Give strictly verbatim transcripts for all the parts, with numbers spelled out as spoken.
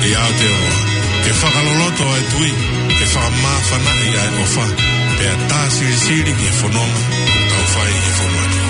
ʻI Aotearoa, ke fakaloloto ʻa e tui, ke fakamāfanaʻi ʻa e ʻofa, pea tā silisili ki he fononga ʻoku tau fai ʻi he fonua ni.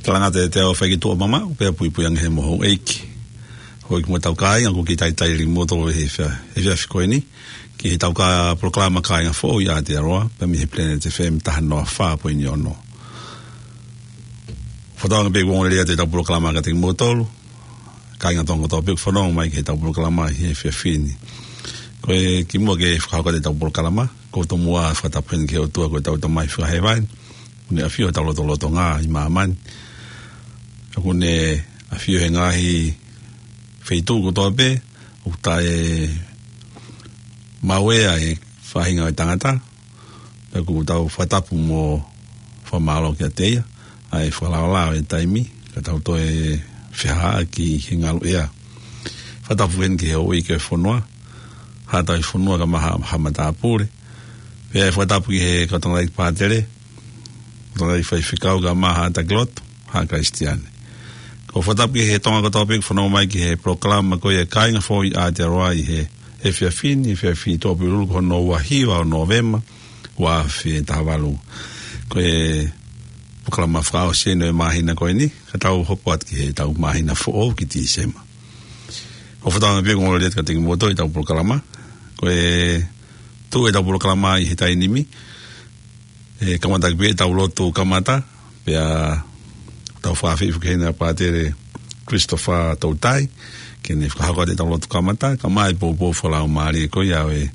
Talangata e te au fai ki tuʻa mama, pea puipui ange he mo houʻeiki. Houʻeiki mo e tau kāinga, ko ki taitai li mo tō he fea, he fea fiko eni. Ki he tau kā polokalama Kāinga Foʻou ʻi Aotearoa, pea mei he Planet F M taha noa fā poini ono. Fakatauange pē ʻoku ongoongolelei atu e tau polokalama ka te ki mo tolu. Kāinga Tonga kotoa pē ʻoku fanongo mai ki he tau polokalama ʻi he efiafi ni. Ko e kimuʻa ke fakahoko atu e tau polokalama, ko e tomuʻa fakatapu heni ki he ʻOtua ko e tau Tamai fakahēvani, ʻoku ne ʻafio he tau lotolotonga ʻi māmani. ʻOku ne ʻafio he ngaahi feituʻu kotoa pē, ʻoku taʻe maʻu ʻe he faʻahinga ʻo e tangata, pea ʻoku tau fakatapu mo fakamālō kiate ia, ʻa e fakalaolao e taimi, ka tau toe fehāʻaki he ngalu ʻea. Fakatapu heni ki he houʻeiki e fonua, Haʻa Tauhi Fonua kae ʻumaʻā Haʻa, Haʻa Matāpule. Pea fakatapu ki he kau tangataʻeiki pātele, kau tangataʻeiki faifekau kae ʻumaʻā haʻa taki lotu, haʻa Kalisitiane. Ko e fakatapu ki he Tonga kotoa pē ʻoku fanongo mai ki he polokalama ko ia Kāinga Foʻou ʻi Aotearoa ʻi he efiafi ni, efiafi Tuʻapulelulu ko hono ua hiva ʻo Nōvema, ua afe taha valu. Ko e polokalama fakaʻosi eni ʻo e māhina ko eni, ka tau hoko atu ki he tau māhina foʻou ki Tīsema. Ko e fakatauange pē ʻoku ongoongolelei atu kiate kimoutolu e tau polokalama. Ko e tuʻu e tau polokalama ʻi he taimi ni, ʻe kamata ʻaki pē e tau lotu kamata, pea tau fakaafeʻi foki heni ʻa Pātele Christopher Toutai, ke ne fakahoko atu e tau lotu kamata, kae ʻumaʻā e poupou fakalaumālie ko ia ʻo e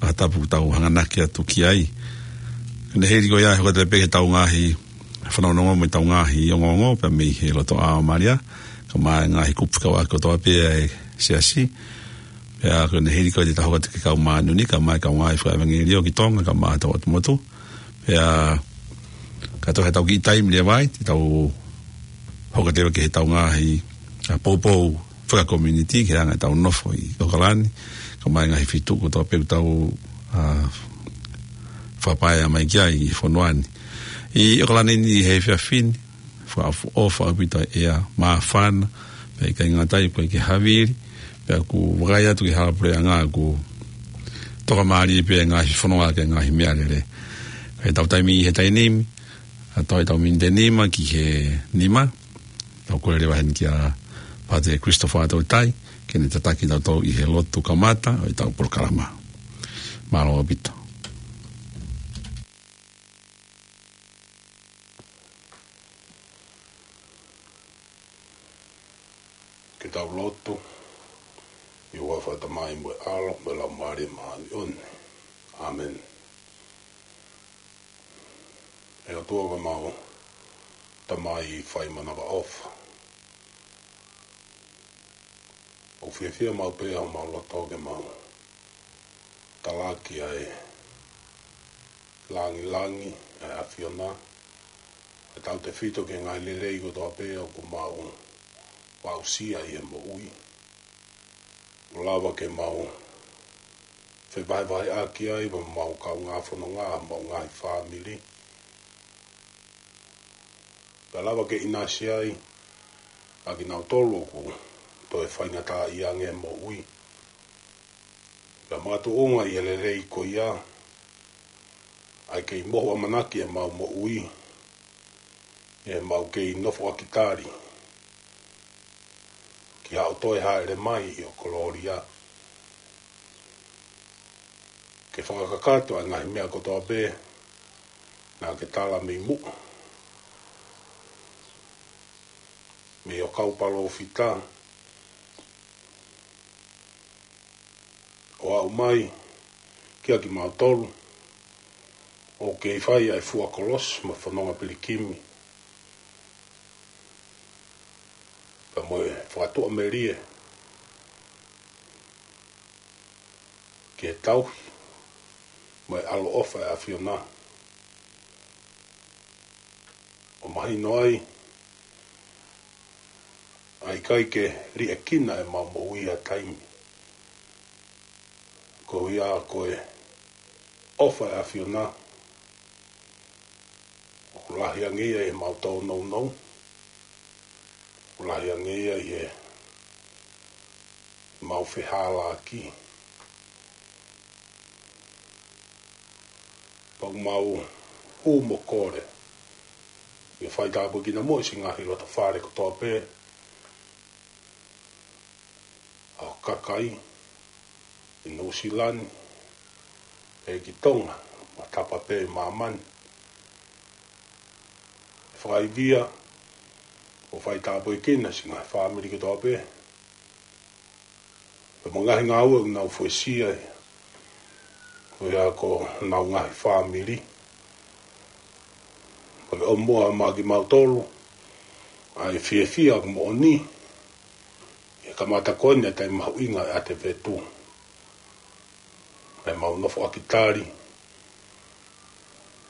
ʻaho tapu ʻoku tau hanganaki atu ki ai. Ko ʻene hili ko ia ʻe hoko atu pē ki he tau ngaahi fanongonongo mo e tau ngaahi ongoongo, pea mei he loto ʻa Malia, kae ʻumaʻā e ngaahi kupu fekauʻaki kotoa pē ʻa e siasi, pea ko ʻene hili ko ia te tau hoko atu ki he kau māʻoniʻoni, kae ʻumaʻā e kau ngaahi fakaʻevangeliō ki Tonga, kae ʻumaʻā hotau ʻotu motu. Pea ka toe ʻi ai ha tau kiʻi taimi leva ai, te tau hoko atu ki he tau ngaahi, ʻa, poupou fakakomiunitī ki he anga ʻetau nofo ʻi ʻOkalani, kae ʻumaʻā e ngaahi feituʻu kotoa pē ʻoku tau, ʻa, fakapaea mai ki ai ʻi he fonua ni. ʻI ʻOkalani ni he efiafi ni, fakaʻofoʻofa ʻaupito e ʻea, māfana, pea ʻikai ngata ai, ʻoku ʻikai ke havili, pea ʻoku vakai atu ki he hala puleʻanga ʻoku tokamālie pē e ngaahi fononga ki he ngaahi meʻalele. Ka ʻi he tau taimi ʻi he taimi ni, ʻa, toe tau miniti ʻe nima ki he nima, Tau kole leva heni kia Pātele Christopher Tautai, ke ne tataki kitautolu ʻi he lotu kamata ʻo ʻetau polokalama. Mālō ʻaupito. Ke tau lotu. ʻI he huafa ʻo e Tamai mo e ʻAlo mo e Laumālie Māʻoniʻoni. ʻĀmeni. ʻE ʻOtua ko homau Tamai faimanavaʻofa, ʻoku fiefia maʻu pē homau loto ke mau talaki ʻa e langilangi ʻa e ʻAfiona, ʻa e tautefito ki he ngaahi lelei kotoa pē ʻoku mau aʻusia ʻi he moʻui. ʻO lava ke mau fevahevaheʻaki ai mo homau kaungā fononga, homau ngaahi fāmili. Pea lava ke ʻinasi ai ʻa kinautolu ʻoku toe faingataʻaʻia ange he moʻui. Pea makatuʻunga ʻi he lelei ko ia, ʻa e kei mohu ʻamanaki ʻemau moʻui, ʻi heʻemau kei nofoʻaki tali ki haʻo toe hāʻele mai ʻi ho kolōlia, ke fakakakato ʻa e ngaahi meʻa kotoa pē naʻa ke tala mei muʻa mei ho kau palōfita, ʻo aʻu mai kia kimautolu ʻoku kei fai ʻa e fua kolosi mo e fononga pilikimi, pea mo e fakatuʻamelie ki he tauhi mo e ʻaloʻofa ʻa e ʻAfiona. ʻO mahino ai ʻa e ʻikai ke liʻekina ʻemau moʻui ha taimi, koeʻuhi ko e ʻofa ʻa e ʻAfiona ʻoku lahi ange ia ʻi heʻemau tōnounou, ʻoku lahi ange ia ʻi heʻemau fehālaaki. Pea ʻoku mau hū mo kole ke faitāpuekina muʻa siʻi ngaahi loto fale kotoa pē ʻa ho kakai ʻi Nuʻusila ni, ʻi he ki Tonga, mo e tapa pē ʻi māmani. Fakaivia ʻo faitāpuekina siʻi ngaahi fāmili kotoa pē, pea mo e ngaahi ngāue ʻoku nau fuesia ai, koeʻuhi ko honau ngaahi fāmili. Pea ke ʻomi muʻa maʻa kimautolu ʻa e fiefia ʻoku moʻoni ʻi he kamata ko eni ʻa e taimi mahuʻinga ʻo e ʻAti Fetu, ʻa ʻemau nofoʻaki tali,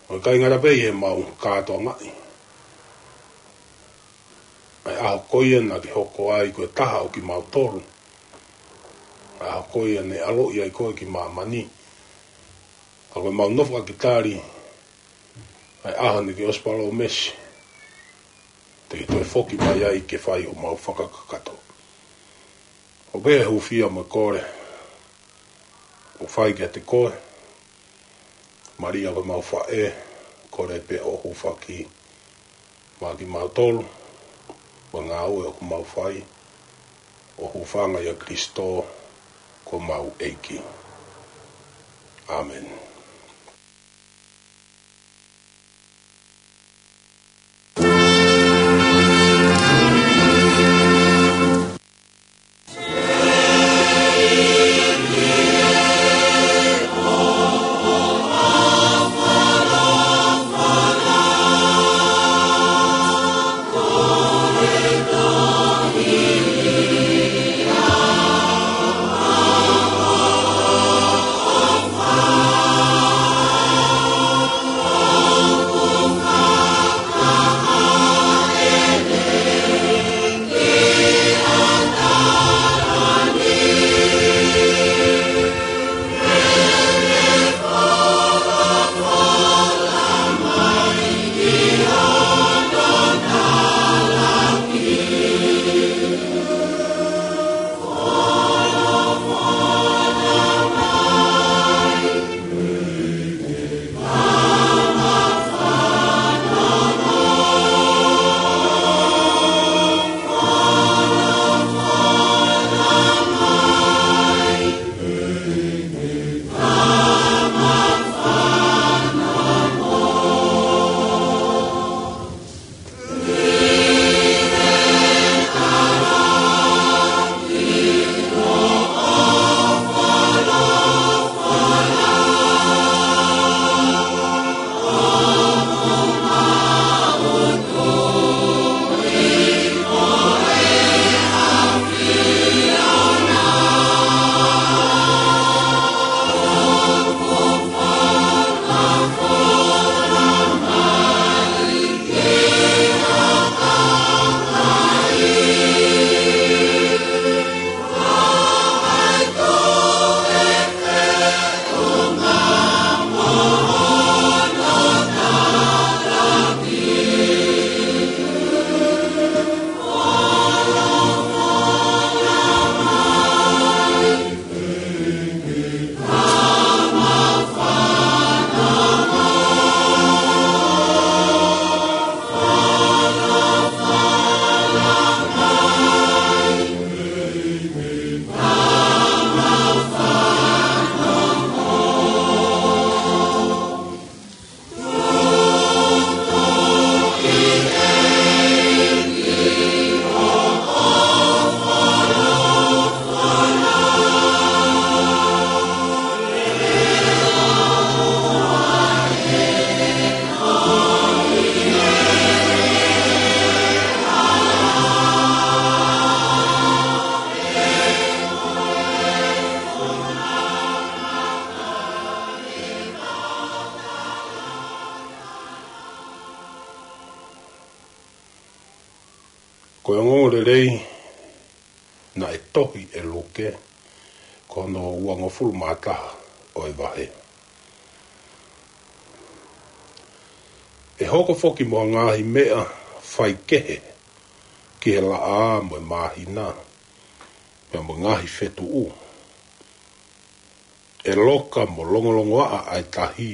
ʻo ʻikai ngata pē ʻi heʻemau kātoangaʻi ʻa e ʻaho ko ia naʻa ke hoko ai ko e taha ʻo kimautolu, ʻa e ʻaho ko ia naʻe ʻaloʻi ai koe ki māmani, ka ko ʻemau nofoʻaki tali ʻa e ʻaho naʻa ke ʻosi palōmesi te ke toe foki mai ai ke fai homau fakakakato. ʻOku pehē hūfia mo e kole ʻoku fai kiate koe, Malia ko homau faʻē, kole pē ʻo hūfaki maʻa kimautolu mo e ngāue ʻoku mau fai, ʻo hūfanga ʻia Kalaisi ko homau ʻEiki. ʻĀmeni. Ongoongolelei naʻe tohi ʻe Luke, ko hono uangofulu mā taha ʻo e vahe. ʻE hoko foki mo ha ngaahi meʻa faikehe ki he laʻā mo e māhina, pea mo e ngaahi fetuʻu. ʻE loka mo longolongoaʻa ʻa e tahi,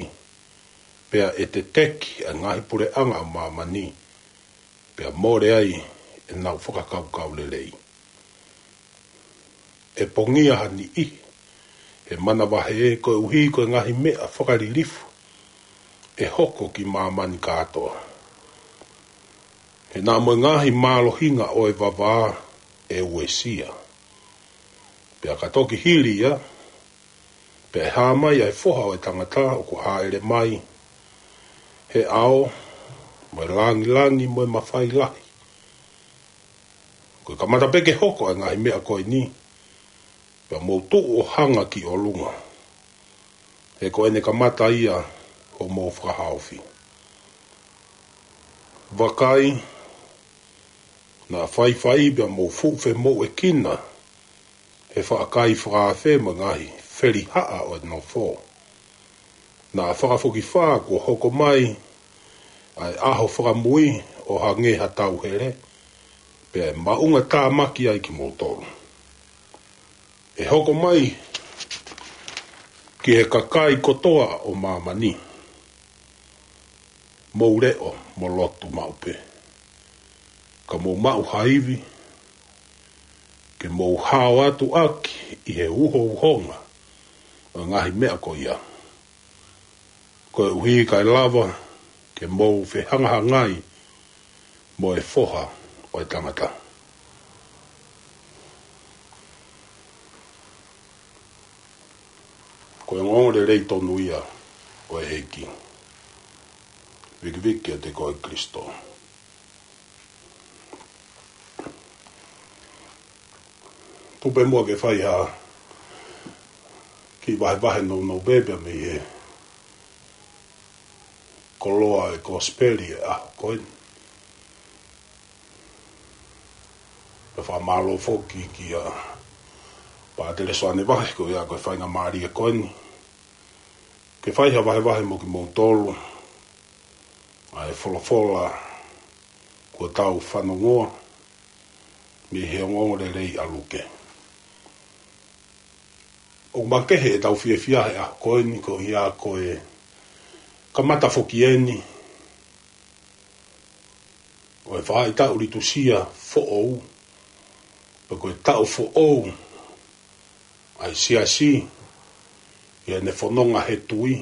pea ʻe teteki ʻa e ngaahi puleʻanga ʻo māmani, pea mole ai ʻenau fakakaukau lelei. ʻE pongia ha niʻihi he manavahē koeʻuhi ko e ngaahi meʻa fakalilifu ʻe hoko ki māmani kātoa. He naʻa mo e ngaahi mālohinga ʻo e vavā ʻe uesia. Pea ka toki hili ia, pea ʻe hā mai ʻa e Foha ʻo e Tangata ʻoku hāʻele mai he ʻao mo e langilangi mo e mafai lahi. Ko e kamata pē ke hoko ʻa e ngaahi meʻa ko eni, pea mou tuʻu ʻo hanga ki ʻolunga, he ko ʻene kamata ia hoʻomou fakahaofi. Vakai, naʻa faifai pea mou fuʻu femouʻekina he faʻa kai fakaafe mo e ngaahi felihaʻa ʻo e nofo. Naʻa fakafokifā kuo hoko mai ʻa e ʻaho fakamui ʻo hangē ha tauhele, pea ʻe maʻungatāmaki ai kimoutolu. ʻE hoko mai ki he kakai kotoa ʻo māmani, mou leʻo mo lotu maʻu pē, ka mou maʻu ha ivi ke mou hao atu ʻaki ʻi he uhouhonga ʻo e ngaahi meʻa ko ia, koeʻuhi kae lava ke mou fehangahangai mo e Foha ʻo e Tangata. Ko e ongoongolelei tonu ia ʻo e ʻEiki. Vikiviki ʻiate koe Kalaisi. Tuku pē muʻa ke fai ha kiʻi vahevahe nounou pē pea mei he koloa e kosipeli e ʻaho ko eni. Pea fakamālō foki kia Pātele Soane Vahe ko ia ko e faingamālie ko eni ke fai ha vahevahe mo kimoutolu ʻa e folofola kuo tau fanongoa mei he ongoongolelei ʻa Luke. ʻOku makehe ʻetau fiefia he ʻaho ko eni koeʻuhi ko e kamata foki eni ʻo e faʻahitaʻu litusia foʻou, pe ko e taʻu foʻou ʻa e siasi ʻi heʻene fononga he tui,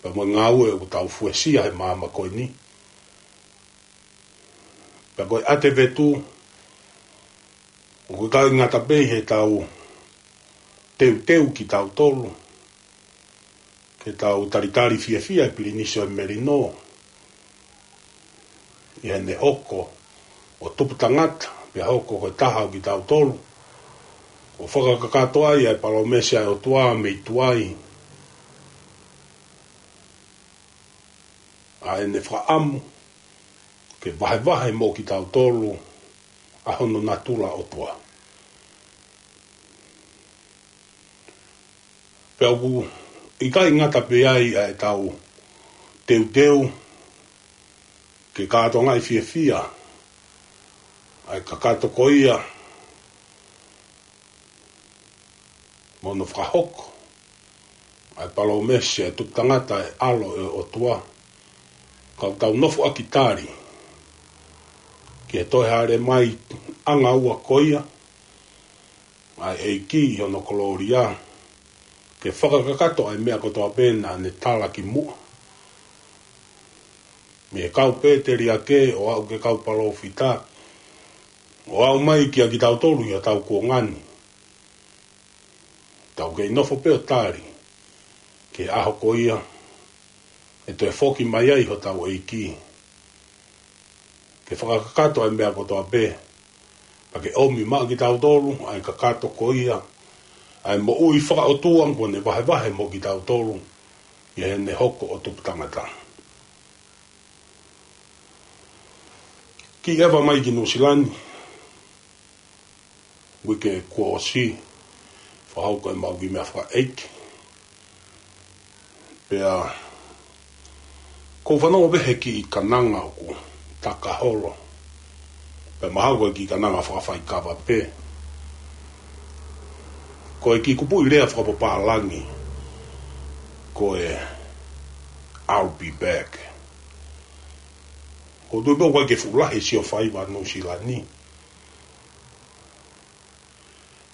pea mo e ngāue ʻoku tau fuesia he māmani ko eni. Pea ko e ʻAtevetu, ʻoku ʻikai ngata pē heʻetau teuteu kitautolu ke tau talitali fiefia e Pilinisi ʻo e Melino ʻi heʻene hoko ʻo tupu tangata, pea hoko ko e taha ʻo kitautolu, ʻo fakakakato ai ʻa e palōmesi ʻa e ʻOtua mei tuai, ʻa ʻene fakaʻamu ke vahevahe mo kitautolu ʻa hono natula ʻOtua. Pea ʻoku ʻikai ngata pē ai ʻa ʻetau teuteu ke kātoangaʻi fiefia ʻa e kakato ko ia mo hono fakahoko ʻa e palōmesi ʻa e tupu tangata ʻa e ʻAlo ʻo e ʻOtua, ka ʻoku tau nofoʻaki tali ki he toe hāʻele mai ʻanga ua ko ia ʻa e ʻEiki ʻi hono kolōlia, ke fakakakato ʻa e meʻa kotoa pē naʻa ne tala ki muʻa, mei he kau pēteliake ʻo aʻu ki he kau palōfita, ʻo aʻu mai kia kitautolu ʻi hotau kuonga ni. Tau kei nofo pē ʻo tali ki he ʻaho ko ia ʻe toe foki mai ai hotau ʻEiki ke fakakakato ʻa e meʻa kotoa pē, pea ke ʻomi maʻa kitautolu ʻa e kakato ko ia, ʻa e moʻui fakaʻotua kuo ne vahevahe mo kitautolu ʻi heʻene hoko ʻo tupu tangata. Kiʻi ʻeva mai ki Nuʻusila ni, uike kuo ʻosi, fakahoko ʻemau kiʻi meʻafakaʻeiki. Pea, ʻoku ou fanongo pē he kiʻi kananga ʻoku taka holo. Pea mahalo ko e kiʻi kananga fakafaikava pē. Ko e kiʻi kupuʻi lea fakapapālangi, ko e I'll be back. ʻOku ou tui pē ʻoku ʻikai ke fuʻu lahi sio faiva Nuʻusila ni.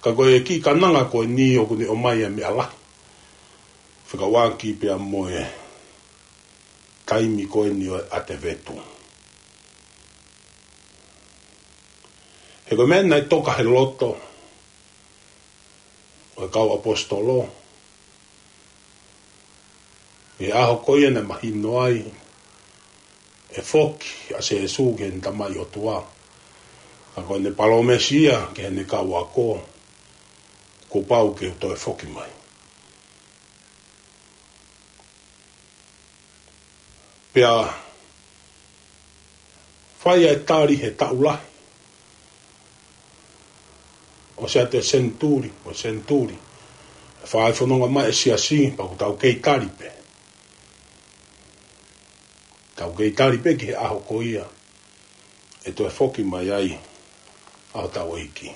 Ka ko e kiʻi kananga ko eni ʻoku ne ʻomai ʻa e meʻa lahi. Fekauʻaki pea mo e taimi ko eni ʻo e ʻAtevetu. He ko e meʻa naʻe toka he loto ʻo e kau ʻaposetolo, ʻi he ʻaho ko ia naʻe mahino ai ʻe foki ʻa Sīsū ki heʻene Tamai ʻOtua. Ka ko ʻene palōmesi ia ki heʻene kau ako, kuo pau ke toe foki mai. Pea fai ʻa e tali he taʻu lahi, ʻosi atu e senituli mo e senituli, ʻe fai fononga mai e siasi, pea ʻoku tau kei tali pē. Tau kei tali pē ki he ʻaho ko ia ʻe toe foki mai ai ʻa hotau ʻEiki.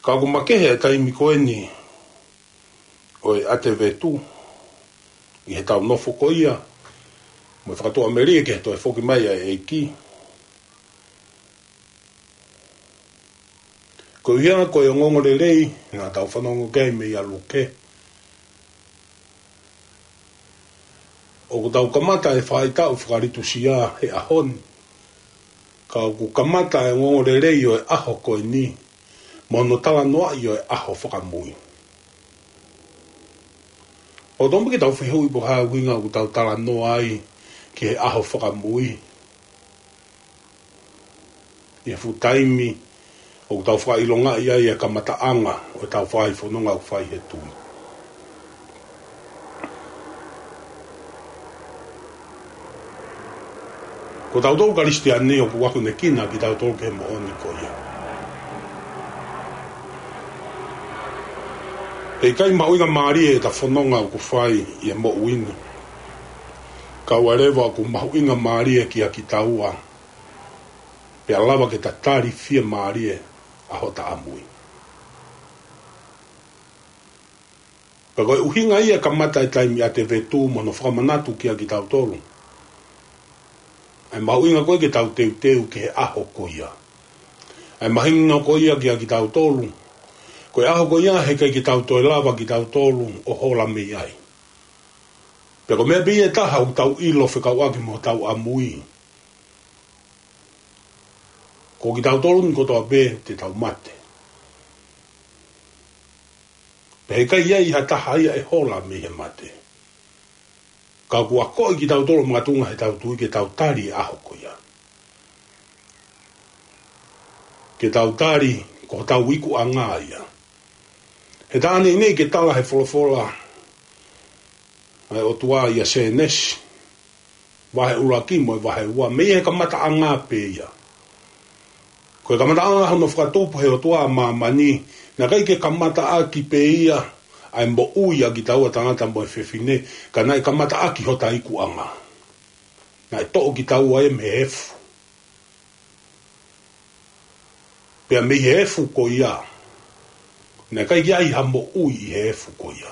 Ka ʻoku makehe e taimi ko eni ʻo e ʻAtevetu ʻi heʻetau nofo ko ia mo e fakatuʻamelie ki he toe foki mai ʻa e ʻEiki. Koeʻuhi ko e ongoongolelei naʻa tau fanongo ki ai mei a Luke, ʻoku tau kamata e faʻahitaʻu fakalitusia he ʻaho ni. Ka ʻoku kamata e ongoongolelei ʻo e ʻaho ko eni mo hono talanoaʻi ʻo e ʻaho fakamui. ʻOku totonu ke tau fehuʻi pe ko e hā e ʻuhinga ʻoku tau talanoa ai ki he ʻaho fakamui ʻi he fuʻu taimi ʻoku tau fakaʻilongaʻi ai e kamataʻanga ʻo ʻetau fai fononga ʻoku fai he tui. Ko tautolu Kalisitiane ʻoku akonekina kitautolu ki he moʻoni ko ia. He ʻikai mahuʻinga mālie ʻeta fononga ʻoku fai ʻi he moʻui ni, kae ʻoua leva ʻoku mahuʻinga mālie kiate kitaua, pea lava ke ta tali fiemālie ʻa hota ʻamui. Pea ko e ʻuhinga ia e kamata e taimi ʻAtevetu mo hono fakamanatu kiate kitautolu ʻa e mahuʻinga ko ē ke tau teuteu ki he ʻaho ko ia. ʻA e mahuʻinga ko ia kiate kitautolu, ko e ʻaho ko ia he ʻikai ke tau toe lava kitautolu ʻo hola mei ai. Pea ko e meʻa pē ia ʻe taha ʻoku tau ʻilo fekauʻaki mo hotau ʻamui, ko kitautolu ni kotoa pē te tau mate. Pea he ʻikai ʻi ai ha taha ia ʻe hola mei he mate. Ka ʻoku akoʻi kitautolu makatuʻunga heʻetau tui ke tau tali e ʻaho ko ia. Ke tau tali ko hotau ikuʻanga ia. He tā ʻanenai ke tala he folofola ʻa e ʻOtua ʻia Sēnesi vahe ʻuluaki mo e vahe ua, mei he kamataʻanga pē ia. Ko e kamataʻanga hono fakatupu he ʻOtua ʻa māmani, naʻe ʻikai ke kamataʻaki pē ia ʻa e moʻui ʻa kitaua tangata mo e fefine, ka naʻe kamataʻaki hota ikuʻanga. Naʻe toʻo kitaua ia mei he efu. Pea mei he efu ko ia, naʻe ʻikai ke ʻi ai ha moʻui ʻi he efu ko ia.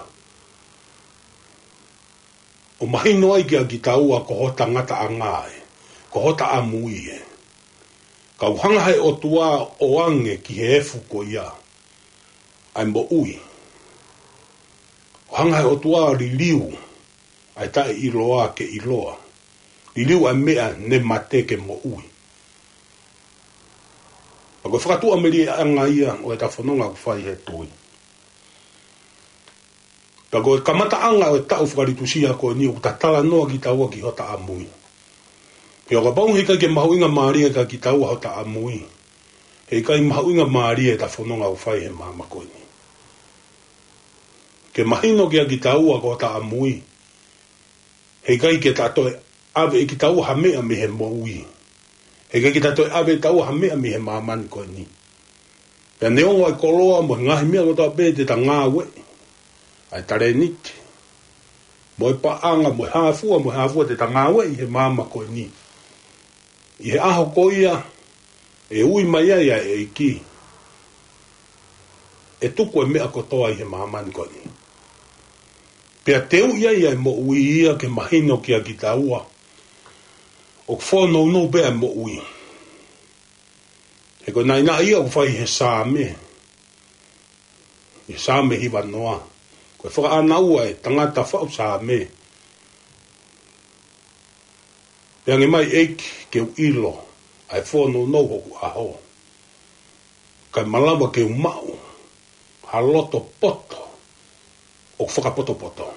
ʻO mahino ai kiate kitaua ko hota ngataʻanga ē, ko hota ʻamui ē. Ka ʻoku hanga he ʻOtua ʻo ʻoange ki he efu ko ia ʻa e moʻui. ʻO hanga he ʻOtua ʻo liliu ʻa e taʻeʻiloa ke ʻiloa. Liliu ʻa e meʻa ne mate ke moʻui. Pea ko e fakatuʻamelieʻanga ia ʻo ʻeta fononga ʻoku fai he tui. Pea ko e kamataʻanga ʻo e taʻu fakalitusia ko eni ʻoku ta talanoa kitaua ki hota ʻamui. Pea kapau he ʻikai ke mahuʻinga mālie kiate kitaua hota ʻamui, he ʻikai mahuʻinga mālie ʻeta fononga ʻoku fai he māmani ko eni. Ke mahino kiate kitaua ko hota ʻamui, he ʻikai ke ta toe ʻave ʻe kitaua ha meʻa mei he moʻui. He ʻikai ke ta toe ʻave ʻe taua ha meʻa mei he māmani ko eni. Pea neongo ʻa e koloa mo e ngaahi meʻa kotoa pē te ta ngāueʻi, ʻa e talēniti, mo e paʻanga, mo e hā fua, mo e hā fua te ta ngāueʻi he māmani ko eni, ʻi he ʻaho ko ia ʻe ui mai ai ʻa e ʻEiki, ʻe tuku e meʻa kotoa ʻi he māmani ko eni. Pea teuʻi ai ʻa e moʻui ia ke mahino kia kitaua ʻoku fōnounou pē ʻa e moʻui. He ko e naʻinaʻi ia ʻoku fai he Saame, he Saame hiva noa. Ko e fakaʻānaua ʻa e tangata faʻu Saame: Pea hangē mai, ʻEiki, ke u ʻilo ʻa e fōnounou hoku ʻaho, kae malava ke u maʻu ha loto poto ʻoku fakapotopoto.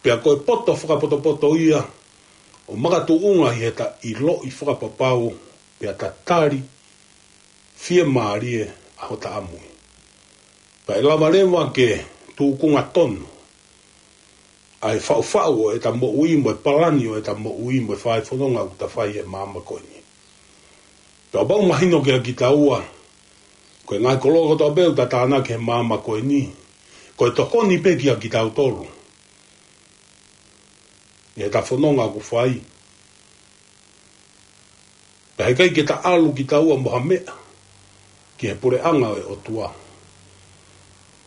Pea ko e poto fakapotopoto ia ʻoku makatuʻunga ʻi heʻeta ʻiloʻi fakapapau pea ta tali fiemālie ʻa hota ʻamui. Pea ʻe lava leva ke tūkunga tonu ʻa e faʻufaʻu ʻo ʻeta moʻui mo e palani ʻo ʻeta moʻui mo e fai fononga ʻoku ta fai he māmani ko eni. Pea ʻoku pau mahino kia kitaua, ko e ngaahi koloa kotoa pē ʻoku ta tānaki he māmani ko eni, ko e tokoni pē kia kitautolu ʻi heʻeta fononga ʻoku fai. Pea heʻikai ke ta ʻalu kitaua mo ha meʻa ki he puleʻanga ʻo e ʻOtua.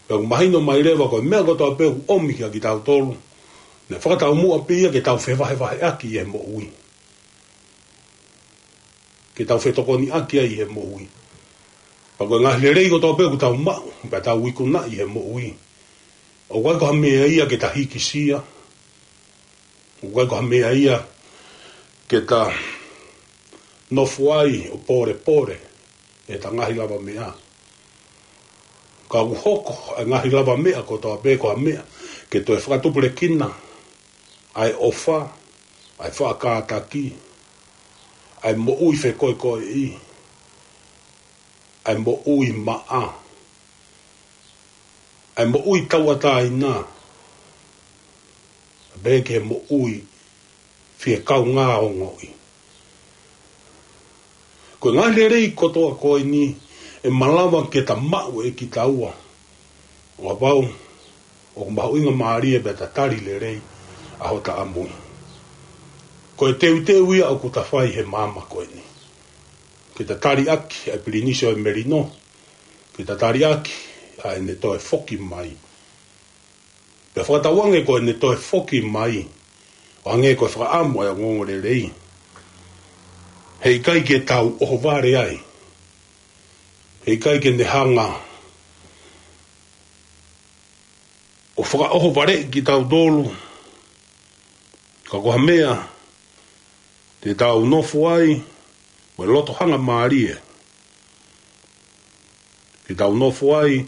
Pea ʻoku mahino mai leva ko e meʻa kotoa pē ʻoku ʻomi kia kitautolu, ne fakataumuʻa pē ia ke tau fevahevaheʻaki ʻi he moʻui, ke tau fetokoniʻaki ai ʻi he moʻui. Pea ko e ngaahi lelei kotoa pē ʻoku tau maʻu pea tau ikunaʻi he moʻui, ʻoku ʻikai ko ha meʻa ia ke ta hikisia, ʻoku ʻikai ko ha meʻa ia ke ta nofo ai ʻo pōlepole ʻi heʻeta ngaahi lavameʻa. Ka ʻoku hoko ʻa e ngaahi lavameʻa kotoa pē ko ha meʻa ke toe fakatupulekina ʻa e ʻofa, ʻa e faʻa kātaki, ʻa e moʻui fekoekoeʻi, ʻa e moʻui maʻa, ʻa e moʻui tauʻatāina, pea ki he moʻui fie kaungā ongoʻi. Ko e ngaahi lelei kotoa ko eni ʻe malava ke ta maʻu ʻe kitaua, ʻo kapau ʻoku mahuʻinga mālie pea ta tali lelei ʻa hota ʻamui. Ko e teuteu ia ʻoku ta fai he māmani ko eni, ke ta taliʻaki ʻa e pilinisi ʻo e melino, ke ta taliʻaki ʻa ʻene toe foki mai. Pea fakatauange ko ʻene toe foki mai, ʻo hangē ko e fakaʻamu ʻa e ongoongolelei, heʻikai ke tau ʻohovale ai. Heʻikai ke ne hanga ʻo fakaʻohovaleʻi kitautolu, ka ko ha meʻa te tau nofo ai mo e loto hangamālie, ke tau nofo ai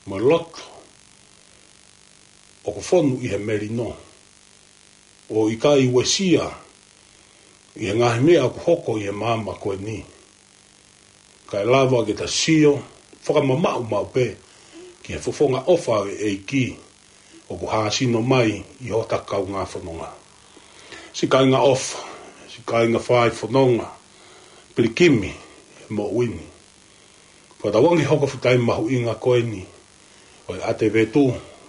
mo e loto ʻoku fonu ʻi he melino, ʻo ʻikai uesia ʻi he ngaahi meʻa ʻoku hoko ʻi he māmani ko eni, kae lava ke ta sio fakamamaʻu maʻu pē ki he fofonga ʻofa ʻo e ʻEiki ʻoku hāsino mai ʻi hota kaungā fononga. Siʻi kāinga ʻofa, siʻi kāinga fai fononga, pilikimi he moʻui ni. Fakatauange hoko fuʻu taimi mahuʻinga ko eni ʻo e ʻAtevetu,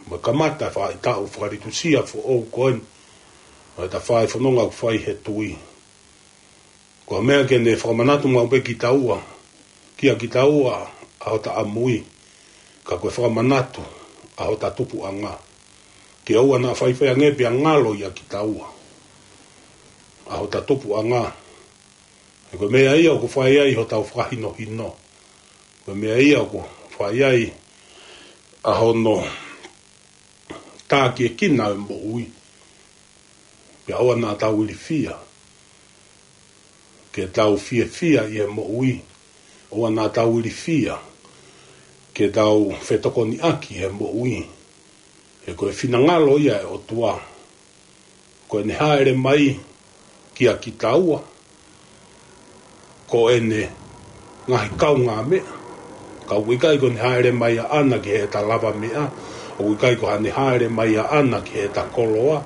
mo e kamata e faʻahitaʻu fakalitusia foʻou ko eni ʻo ʻeta fai fononga ʻoku fai he tui. Ko e meʻa ke ne fakamanatu maʻu pē kitaua, kia kitaua ʻa hota ʻamui, ka ko e fakamanatu ʻa hota tupuʻanga. Ke ʻoua naʻa faifai ange pea ngalo ia kitaua ʻa hota tupuʻanga. He ko e meʻa ia ʻoku fai ai hotau fakahinohino. Ko e meʻa ia ʻoku fai ai ʻa hono tākiekina e moʻui. Pea ʻoua naʻa tau ilifia ke tau fiefia ʻi he moʻui. ʻOua naʻa tau ilifia ke tau fetokoniʻaki he moʻui. He ko e finangalo ia e ʻOtua, ko ʻene hāʻele mai kia kitaua, ko ʻene ngaahi kaungāmeʻa, Ka ʻoku ʻikai ko ʻene hāʻele mai ʻaʻana ki heʻeta lavameʻa, ʻoku ʻikai ko haʻane hāʻele mai ʻaʻana ki heʻeta koloa,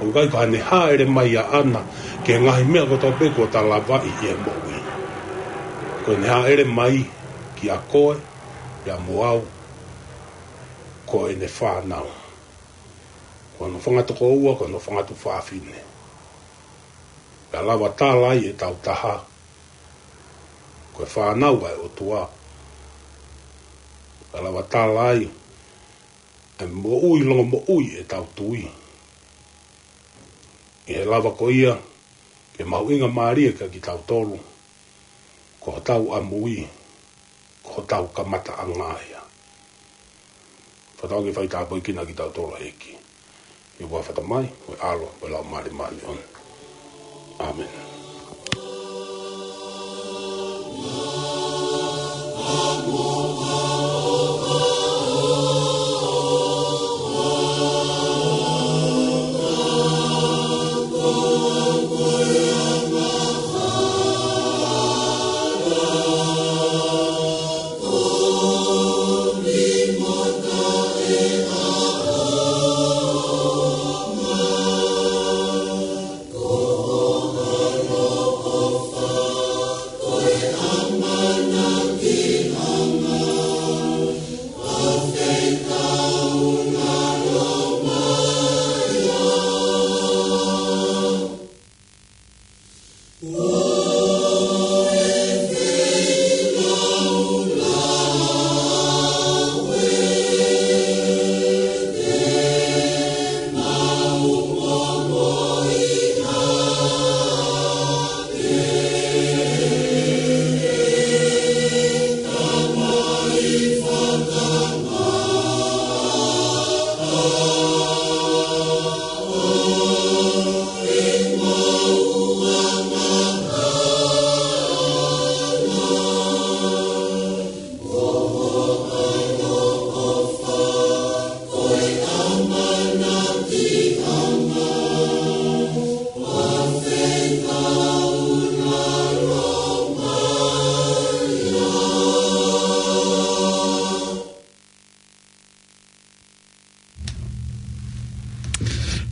ʻoku ʻikai ko haʻane hāʻele mai ʻaʻana ki he ngaahi meʻa kotoa pē kuo ta lavaʻi ʻi he moʻui. Ko ʻene hāʻele mai kia koe, pea mo au, ko ʻene fānau. Ko hono fanga tokoua, ko hono fanga tuofāfine. Pea lava tala ai ʻetau taha, ko e fānau ʻa e ʻOtua. Pea lava tala ai ʻa e moʻui longomoʻui ʻetau tui. ʻI he lava ko ia ke mahuʻingamālie kia kitautolu, ko hotau ʻamui, ko hotau kamataʻanga ia. Fakatauange ke faitāpuekina kitautolu ʻe he ʻEiki. ʻI he huafa ʻo e Tamai, mo e ʻAlo, mo e Laumālie Māʻoniʻoni. ʻĀmeni.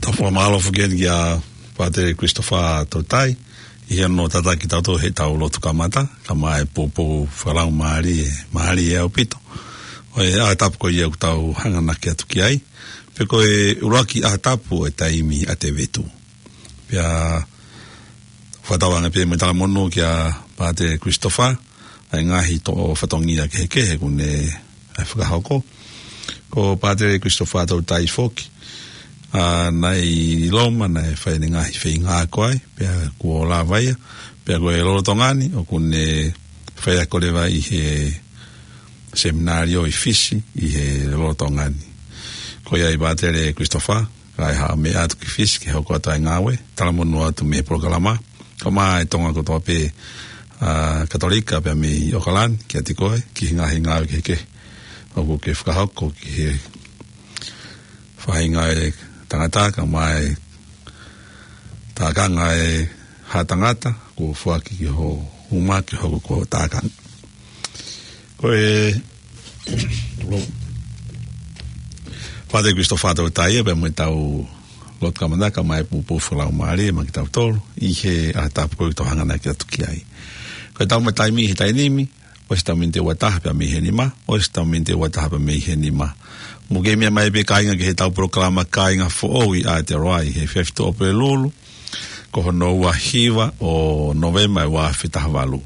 Tau fakamālō foki eni kia Pātele Christopher Toutai, ʻi hono tataki kitautolu heʻetau lotu kamata, kae ʻumaʻā e poupou fakalaumālie, mālie ʻaupito ʻo e ʻaho tapu ko ia ʻoku tau hanganaki atu ki ai. Pea ko e ʻuluaki ʻaho tapu ʻo e taimi ʻa Tēvita. Pea fakatauange pē mo e talamonū kia Pātele Christopher, ʻa e ngaahi toʻo fatongia kehekehe ʻoku ne ʻai fakahoko. Ko Pātele Christopher Toutai foki, ʻa, naʻe ʻi Loma, naʻe fai ʻene ngaahi feinga ako ai, pea kuo lava ia, pea ko e lolotonga ni, ʻoku ne faiako leva ʻi he seminalio ʻi Fisi, ʻi he lolotonga ni. Ko ia ai Pātele Christopher, kae haʻu mai atu ki Fisi, ke hoko atu ʻa e ngāue, talamonū atu mei he polokalama, kae ʻumaʻā e Tonga kotoa pē, ʻa, Katolika pea mei ʻAokalani, kiate koe, ki he ngaahi ngāue kehekehe ʻoku ke fakahoko, ki he faʻahinga ʻo e tangata, kae ʻumaʻā e tākanga ʻo e haʻa tangata, kuo foaki ki ho uma ke hoko ko ho tākanga. Ko e, Pātele Christopher Toutai ia, pea mo ʻetau lotu kamata kae ʻumaʻā e poupou fakalaumālie maʻa kitautolu, ʻi he ʻaho tapu ko ē ʻoku tau hanganaki atu ki ai. Ko ʻetau maʻu taimi he taimi ni, ʻosi ʻetau miniti ua taha pea mei he nima, ʻosi ʻetau miniti ua taha pea mei he nima. Mou kei meʻa mai pē kāinga ki heʻetau polokalama Kāinga Foʻou ʻi Aotearoa ʻi he efiafi Tuʻapulelulu, ko hono ua hiva ʻo Nōvema ʻo e ua afe taha valu.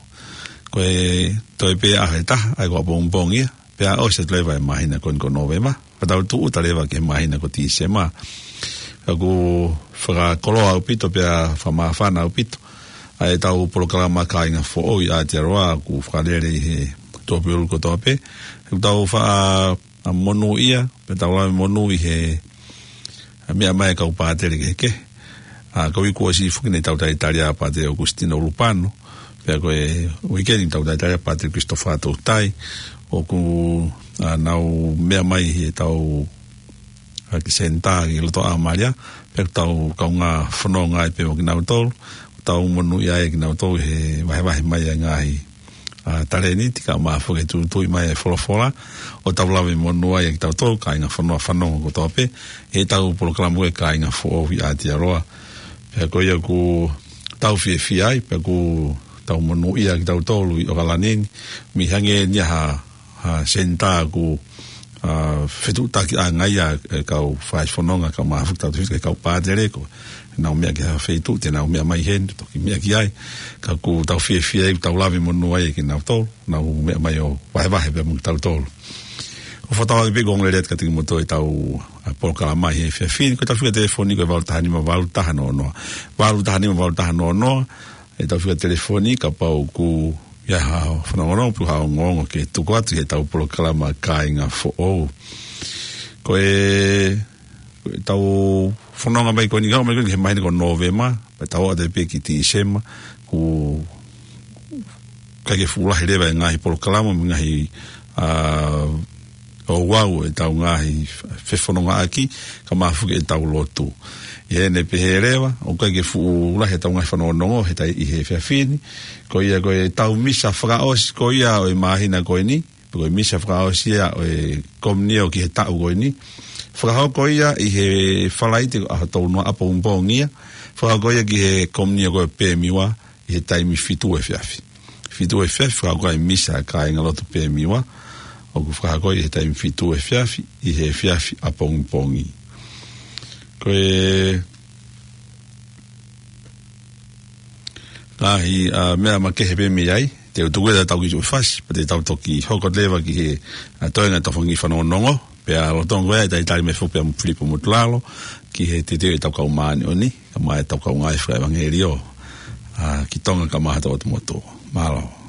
Ko e toe pē ʻaho ʻe taha, ʻa ia ko ʻapongipongi ia, pea ʻosi atu leva e māhina ko eni ko Nōvema. Pea tau tūʻuta leva ki he māhina ko Tīsema. Pea ʻoku fakakoloa ʻaupito, pea fakamāfana ʻaupito ʻa ʻetau polokalama Kāinga Foʻou ʻi Aotearoa, ʻoku fakalele ʻi he Tuʻapulelulu kotoa pē. ʻOku tau faʻa ʻa monūʻia, pea tau lave monū ʻi he, ʻa, meʻa mai e kau pātele kehekehe. ʻA, ko e uike kuo ʻosi foki naʻe tau talitali ʻa Pātele ʻOkusitino ʻUlupano, pea ko e uike ni tau talitali ʻa Pātele Christopher Toutai, ʻoku, ʻa, nau meʻa mai heʻetau, ʻa, kiʻi senitā ʻi loto ʻAmalia, pea tau kaungā fononga ai pē mo kinautolu, tau monūʻia ai kinautolu he vahevahe mai ʻa e ngaahi ʻa, talēniti kae ʻumaʻā foki e tuʻutuʻuni mai e folofola, ʻo tau lave monū ai ʻa kitautolu kāinga fonua fanongo kotoa pē ʻi heʻetau polokalama ko e Kāinga Foʻou ʻi Aotearoa. Pea ko ia ʻoku tau fiefia ai, pea ʻoku tau monūʻia kitautolu ʻi ʻOkalani ni, mei hangē ni ha, ha senitā ʻoku, ʻa, fetuʻutaki ʻa e ngaahi, ʻa e kau faifononga, kae ʻumaʻā foki ʻetau tefito ki he kau pātele, ko ʻenau meʻa ki ha feituʻu, te nau meʻa mai heni, toki meʻa ki ai. Ka ʻoku tau fiefia ai, tau lave monū ai kinautolu, nau meʻa mai ʻo vahevahe pea mo kitautolu. ʻOku fakatauange pē ʻoku ongo lelei atu kiate kimoutolu ʻetau, ʻa, polokalama ʻi he efiafi ni, ko ʻetau fika telefoni ko e valu taha nima valu taha noa noa. Valu taha nima valu taha noa noa, ʻetau fika telefoni kapau ʻoku ʻi ai ha fanongonongo pe ha ongoongo ke tuku atu heʻetau polokalama Kāinga Foʻou. Ko e, ko ʻetau fononga mai ko eni, ngāue mai ko eni he māhina ko Nōvema, pea tau ʻoatu pē ki Tīsema, ʻoku ʻikai ke fuʻu lahi leva e ngaahi polokalama, mo e ngaahi, ʻa, ouau ʻetau ngaahi fefonongaʻaki, kae ʻumaʻā foki ʻetau lotu. ʻI heʻene pehē leva, ʻoku ʻikai ke fuʻu lahi ʻetau ngaahi fanongonongo he tai ʻi he efiafi ni, ko ia ko ʻetau misa fakaʻosi ko ia ʻo e māhina ko eni, pe ko e misa fakaʻosi ia ʻo e komiunio ki he taʻu ko eni. Fakahoko ia ʻi he Falaite ʻaho tolu noa ʻapongipongi ia. Fakahoko ia ki he komiunio ko e Pemiwa ʻi he taimi fitu efiafi. Fitu efiafi, fakahoko ai e misa ʻa e kāingalotu Pemiwa. ʻOku fakahoko ʻi he taimi fitu efiafi, ʻi he efiafi ʻapongipongi. Ko e ngaahi, ʻa, meʻa makehe pē mei ai, te u tuku ʻetau kiʻi fasi, pea te tau toki hoko leva ki he, ʻa, toenga ʻetau fanga kiʻi fanongonongo, pea lolotonga ko ia ʻe talitali mai foki pē ʻa Filipo Motulalo, ki he teuteu ʻetau kau māʻoniʻoni, kae ʻumaʻā ʻetau kau ngāue fakaʻevangeliō, ʻa, ki Tonga kae ʻumaʻā hotau ʻotu motu. Mālō.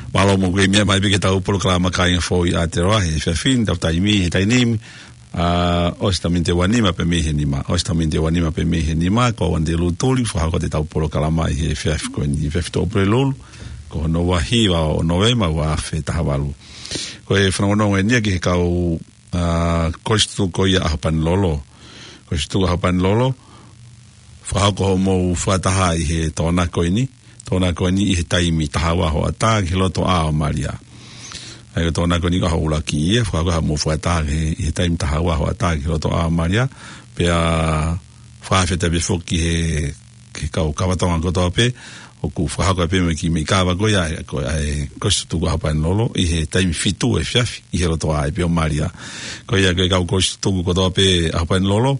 Mālō mo e meʻa mai pē ki heʻetau polokalama Kāinga Foʻou ʻi Aotearoa he efiafi ni, tau taimi he taimi ni, ʻa, ʻosi ʻetau miniti ʻe uanima pē mei he nima, ʻosi ʻetau miniti ʻe uanima pē mei he nima, ko au Anitelū Tuli, fakahoko atu ʻetau polokalama ʻi he efiafi ko eni, efiafi Tuʻapulelulu, ko hono ua hiva ʻo Nōvema ua afe taha valu. Ko e fanongonongo eni ia ki he kau, ʻa, Kolisi Tutuku ko ia ʻAhopanilolo. Kolisi Tutuku ʻAhopanilolo, fakahoko hoʻomou fakataha ʻi he Tokonaki ko eni, Tokonaki ko eni ʻi he taimi taha ua hoʻatā ki he lotoʻā ʻo Malia. ʻA ia ko e Tokonaki ko eni ko e ʻuluaki ia, fakahoko hoʻomou fakataha ʻi he, ʻi he taimi taha ua hoʻatā ki he lotoʻā ʻo Malia, pea fakafetaʻi pē foki ki he, ki he kau kava Tonga kotoa pē, ʻoku fakahoko pē mo e kiʻi meʻi kava ko ia, ko e, ʻa e Kolisi Tutuku ʻAhopanilolo, ʻi he taimi fitu efiafi, ʻi he lotoʻā ʻi pē ʻo Malia. Ko ia ko e kau Kolisi Tutuku kotoa pē ʻAhopanilolo,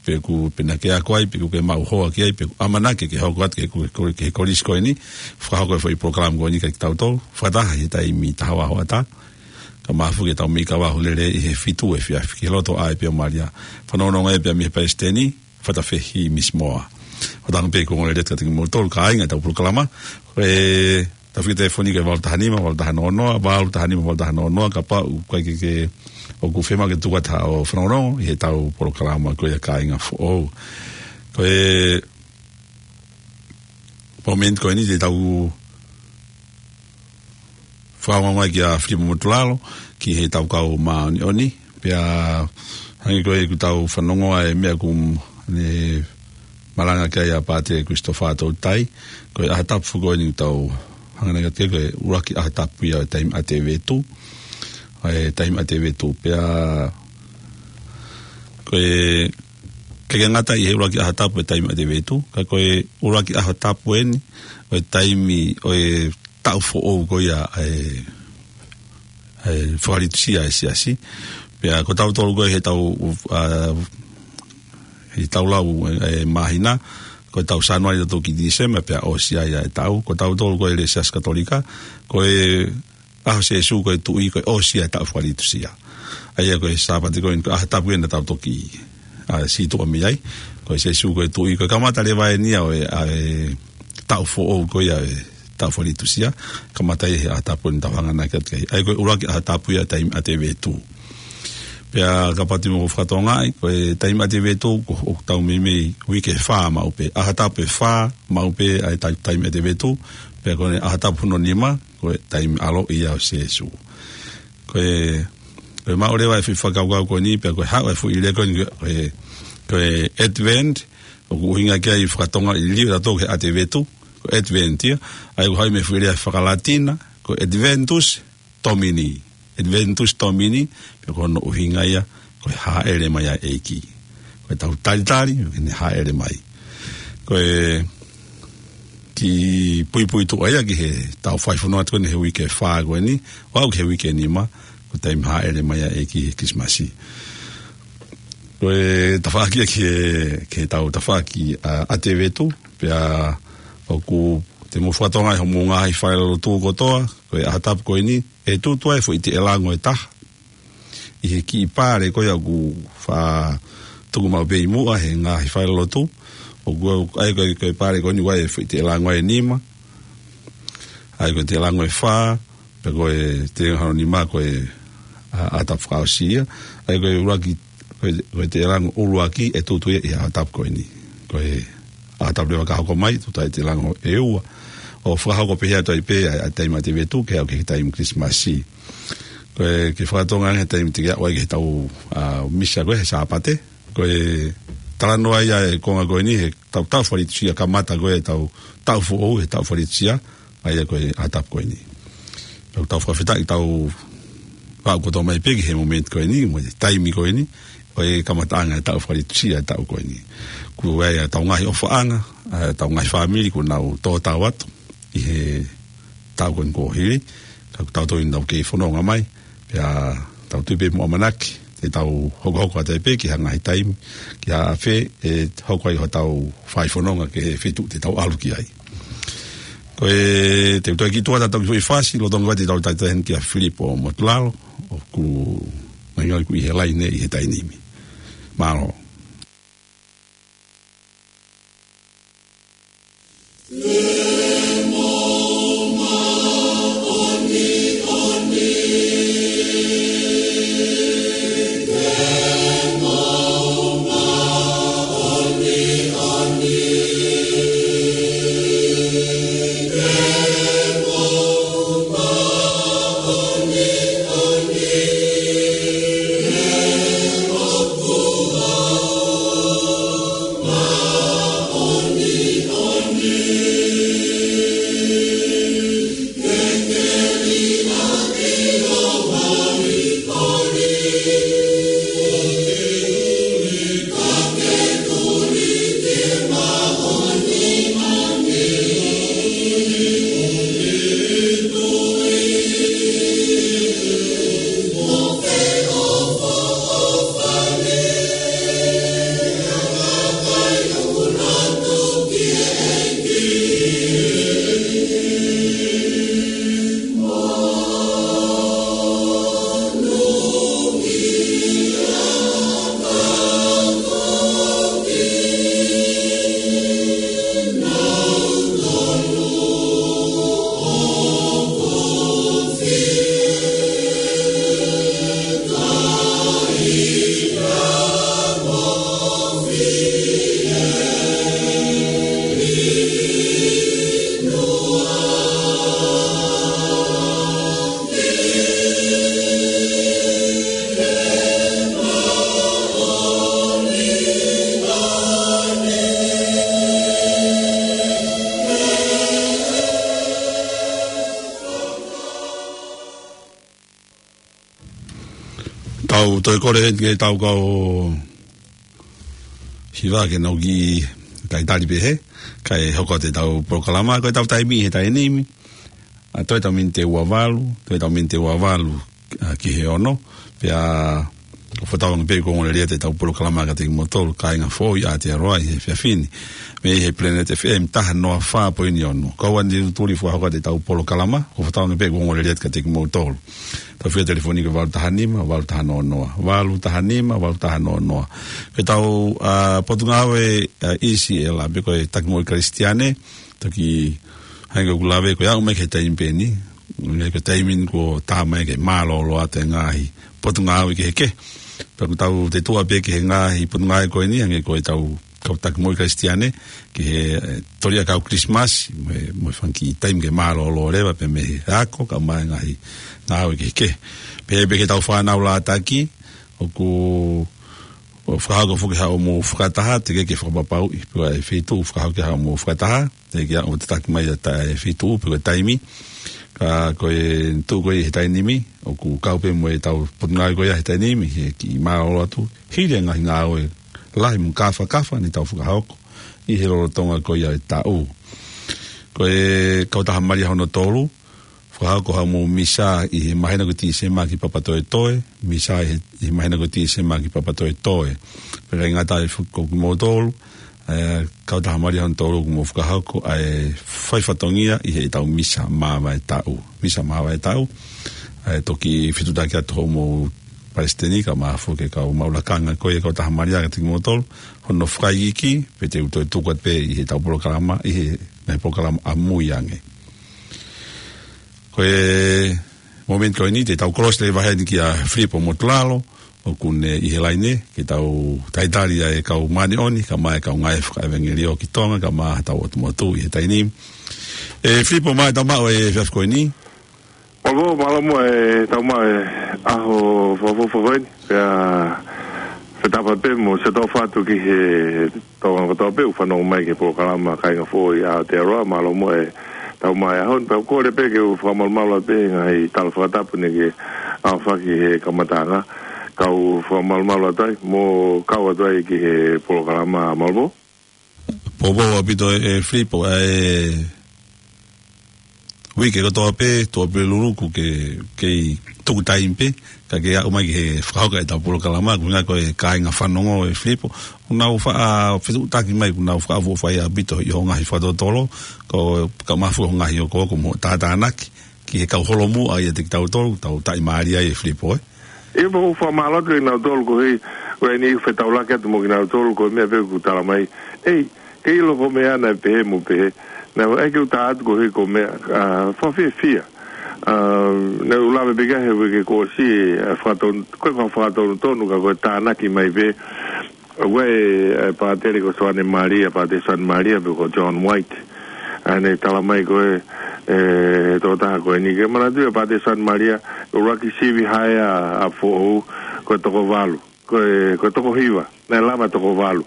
pe ʻoku, pe naʻa ke ako ai, pe ʻoku ke maʻu hoa ki ai, pe ʻoku ʻamanaki ke hoko atu ki he, ki he, ki he kolisi ko eni, fakahoko e foʻi polokalama ko eni kiate kitautolu, fakataha ʻi he taimi taha ua hoʻatā, kae ʻumaʻā foki ʻetau meʻi kava Hūlele ʻi he fitu efiafi, ki he lotoʻā ʻi pē ʻo Malia. Fanongonongo ai pē mei he palesiteni, Fatafehi Misimoa. Fakatauange pē ʻoku ongo lelei atu kiate kimoutolu, kāinga ʻetau polokalama, e Tau fika telefoni ki he valu taha nima, valu taha noa noa, valu taha nima, valu taha noa noa, kapau ʻoku ʻikai ke, ke ʻoku fiemaʻu ke tuku atu haʻo fanongonongo ʻi heʻetau polokalama ko ia Kāinga Foʻou. Ko e momeniti ko eni te tau fakaongo mai kia Filipo Motulalo, ki heʻetau kau māʻoniʻoni, pea hangē ko ē ʻoku tau fanongo ai e meʻa ʻoku ne malanga ki ai ʻa Pātele Christopher Toutai, ko e ʻaho tapu ko eni ʻoku tau hanganaki atu ki ai, ko e ʻuluaki ʻaho tapu ia ʻo e taimi ʻa e vetu, ʻa e taimi ʻa e vetu, pea ko e, ʻikai ke ngata ʻi he ʻuluaki ʻaho tapu ʻo e taimi ʻa e vetu, ka ko e ʻuluaki ʻaho tapu eni ʻo e taimi ʻo e taʻu foʻou ko ia ʻa e, ʻa e fakalitusia ʻa e siasi. Pea ko tautolu ko ē heʻetau, ʻa, heʻetau lau e, e māhina, ko e tau Sānuali tautolu ki Tīsema, pea ʻosi ai ʻa e taʻu. Ko tautolu ko ē he Siasi Katolika, ko e ʻaho Sēsū ko e Tuʻi, ko e ʻosi ʻa e taʻu fakalitusia. ʻA ia ko e Sāpate ko eni ko e ʻaho tapu eni naʻa tau toki, ʻa, sītuʻa mei ai. Ko e Sēsū ko e Tuʻi, ko e kamata leva eni ia ʻo e, ʻa e taʻu foʻou ko ia e taʻu fakalitusia. Kamata ʻi he ʻaho tapu eni naʻa tau hanganaki atu ki ai. ʻA ia ko e ʻuluaki ʻaho tapu ia taimi ʻa e vetu. Pea kapau te mou fakatokangaʻi, ko e taimi ʻa e vetu, ko, ʻoku tau meimei uike fā maʻu pē. ʻAho tapu ʻe fā maʻu pē ʻa e tai-, taimi ʻa e vetu. Pea ko e ʻaho tapu hono nima, ko e taimi ʻaloʻi ia ʻo Sēsū. Ko e, ko e maʻu leva e foʻi fakakaukau ko eni, pea ko e haʻu e foʻi lea ko eni, ko e, ko e Advent, ʻoku ʻuhinga ki ai fakatonga ʻi liliu ʻa tautolu ki he ʻa e vetu, ko e Advent ia, ʻa ia ʻoku haʻu mei he foʻi lea faka-Latina, ko e Adventus Domini. Adventus Domini, pea ko hono ʻuhinga ia, ko e hāʻele mai ʻa e ʻEiki. Ko e tau talitali, ʻoku ne hāʻele mai. Ko e kiʻi puipuituʻa ia ki heʻetau fai fononga atu ko eni he uike fā ko eni, ʻo aʻu ki he uike nima, ko e taimi hāʻele mai ʻa e ʻEiki he Kilisimasi. Ko e tafaʻaki ia ki he, ki heʻetau tafaʻaki ʻa, ʻa e vetu, pea ʻoku te mou fakatokangaʻi hoʻomou ngaahi falelotu kotoa, ko e ʻaho tapu ko eni, ʻe tutu ai e foʻi teʻelango ʻe taha ʻi he kiʻi pale ko ia ʻoku faʻa tuku maʻu pē ʻi muʻa he ngaahi falelotu. ʻOku, ʻa ia ko e, ko e pale ko eni ʻoku ʻi ai e foʻi teʻelango ʻe nima. ʻA ia ko e teʻelango ʻe fā, pea ko e teʻelango hono nima ko e, ʻa, ʻaho tapu fakaʻosi ia. ʻA ia ko e ʻuluaki, ko e, ko e teʻelango ʻuluaki ʻe tutu ia ʻi he ʻaho tapu ko eni. Ko e ʻaho tapu leva ka hoko mai, tutu ai e teʻelango ʻe ua. ʻO fakahoko pē ia ʻo toe pē ʻa e, ʻa e taimi ʻa e vetu, ke aʻu ki he taimi Kilisimasi. Ko e, ke fakatonga he taimi te ke aʻu ai ki heʻetau, ʻa, misa ko ē he Sāpate. Ko e talanoa ia e konga ko eni, he tau, taʻu fakalitusia kamata ko ē, tau, taʻu foʻou, he taʻu fakalitusia, ʻa ia ko e ʻaho tapu ko eni. Tau, tau fakafetaʻi tau aʻu kotoa mai pē ki he momeniti ko eni, mo e taimi ko eni, ʻo e kamataʻanga e taʻu fakalitusia e taʻu ko eni. Kuo ʻi ai ʻetau ngaahi ʻofaʻanga, ʻa, ʻetau ngaahi fāmili kuo nau tō tau atu ʻi he taʻu ko eni kuo hili, ka ko tautolu eni naʻa tau kei fononga mai, pea tau tui pē mo ʻamanaki, te tau hokohoko atu ai pē ki ha ngaahi taimi, ki ha ʻafe, ʻe hoko ai hotau fai fononga ki he feituʻu te tau ʻalu ki ai. Ko e, te u toe kiʻi tuʻu atu ʻetau kiʻi foʻi fasi, lolotonga te tau talitali heni kia Filipo Motulalo, ʻoku ngalingali ʻoku ʻi he laine ʻi he taimi ni. Mālō. ʻOku toe kole heni ke tau kau hiva ke nau kiʻi talitali pē he, kae hoko atu ʻetau polokalama, ko ʻetau taimi he taimi ni. ʻA, toe ʻetau miniti ua valu, toe ʻetau miniti ua valu, ʻa, ki he ono, pea ʻoku fakatauange pē ʻoku ongoongolelei atu ʻetau polokalama kiate kimoutolu, kāinga foʻou ʻa Aotearoa ʻi he efiafi ni. Mei he Planet F M taha noa fā poini ono. Ko au eni Tuli, fakahoko atu ʻetau polokalama, ʻoku fakatauange pē ʻoku ongoongolelei atu kiate kimoutolu. ʻEtau fili telefoni ko e valu taha nima, valu taha noa noa. Valu taha nima, valu taha noa noa. Ko ʻetau, ʻa, Potungāue, ʻa, E C L, pe ko e Taki Moʻui Kalisitiane, toki hangē ko ʻeku lave ko e aʻu mai ki he taimi pē ni, hangē ko e taimi ni kuo tā mai ke mālōlō atu e ngaahi potungāue kehekehe. Pea ʻoku tau tetuʻa pē ki he ngaahi potungāue ko eni, hangē ko ʻetau kau Taki Moʻui Kalisitiane, ki he, ʻe, toli ʻa e kau Kilisimasi, mo e, mo e fanga kiʻi taimi ke mālōlō leva pē mei he ako, kae ʻumaʻā e ngaahi ngāue kehekehe. Pea pē ki heʻetau fānau lātaki, ʻoku, ʻoku fakahoko foki haʻamou fakataha, teʻeki ke fakapapauʻi pe ko e feituʻu ʻoku fakahoko haʻamou fakataha, teʻeki ke ʻoatu tataki mai ʻa e feituʻu pe ko e taimi. Ka ko e tuʻu ko ia he taimi ni, ʻoku kau pē mo ʻetau potungāue ko ia he taimi ni, he kiʻi mālōlō atu, hili e ngaahi ngāue lahi mo kāfakafa ne tau fakahoko ʻi he lolotonga ko ia e taʻu. Ko e Kautaha Malia hono tolu, fakahoko haʻamou misa ʻi he māhina ko Tīsema ki Papatoetoe, misa ʻi he, ʻi he māhina ko Tīsema ki Papatoetoe. Pea ʻikai ngata ai foki, ko kimoutolu, ʻa e Kautaha Malia hono tolu, ʻoku mou fakahoko ʻa e fai fatongia ʻi heʻetau misa māvae taʻu. Misa māvae taʻu, ʻa e toki fetuʻutaki atu hoʻomou palesiteni kae ʻumaʻā foki e kau maʻu lakanga ko ia e Kautaha Malia kiate kimoutolu, hono fakaikiiki, pea te u toe tuku atu pē ʻi heʻetau polokalama, ʻi he ngaahi polokalama ʻamui ange. Ko e momeniti ko eni te tau kolosi leva heni kia Filipo Motulalo, ʻoku ne ʻi he laine, ke tau talitali ʻa e kau māʻoniʻoni, kae ʻumaʻā e kau ngāue fakaʻevangeliō ki Tonga, kae ʻumaʻā hotau ʻotu motu ʻi he taimi ni. ʻE Filipo, mālō e tau maʻu e efiafi ko eni. Mālō, mālō muʻa e tau maʻu e ʻaho fakaʻofoʻofa ko eni. Pea fakatapu pē mo Sīsū ʻofa atu ki he Tonga kotoa pē ʻoku fanongo mai ki he polokalama Kāinga Foʻou ʻi Aotearoa, mālō muʻa e tau maʻu e ʻaho ni. Pea ʻoku ou kole pē ke u fakamalumalu atu pē he ngaahi tala fakatapu naʻe ke aofaki he kamataʻanga, kau fakamalumalu atu ai, mo kau atu ai ki he polokalama, mālō. Poupou ʻaupito ē, ʻe Filipo, ʻa e uike kotoa pē, tuʻa pē luluku ke, kei tuku taimi pē, kae ke aʻu mai ki he fakahoko ʻetau polokalama, ko e ʻuhinga ko e kāinga fanongo ē Filipo, ʻoku nau faʻa fetuʻutaki mai, ʻoku nau fakaʻofoʻofa ʻaupito ʻi hoʻo ngaahi fakatotolo, ko e kae ʻumaʻā foki hoʻo ngaahi okooko mo e tātānaki, ki he kau holomui ʻiate kitautolu, tau taʻimālie ai ē Filipo, ē. ʻIo, ʻoku fakamālō atu kinautolu koeʻuhi, ko eni fetaulaki atu mo kinautolu, ko e meʻa pē ʻoku tala mai. ʻEi, ke ʻilo ko e meʻa naʻe pehē mo pehē. Naʻe ʻai ke u tā atu koeʻuhi ko e meʻa, ʻa, fakafiefia. ʻA, naʻa ku lave pē ki ai he uike kuo ʻosi, ʻa, fakaton-, ko e fakatonutonu ka ko e tānaki mai pē. ʻOku ʻi ai e, e pātele ko Soane Malia, Pātele Soane Malia, pe ko John White. ʻA ia naʻe tala mai ko e, e, tokotaha ko eni ke manatu ʻa Pātele Soane Malia, ko e ʻuluaki sivi hae ʻa, ʻa Foʻou, ko e toko valu, ko e, ko e toko hiva, naʻe lava toko valu.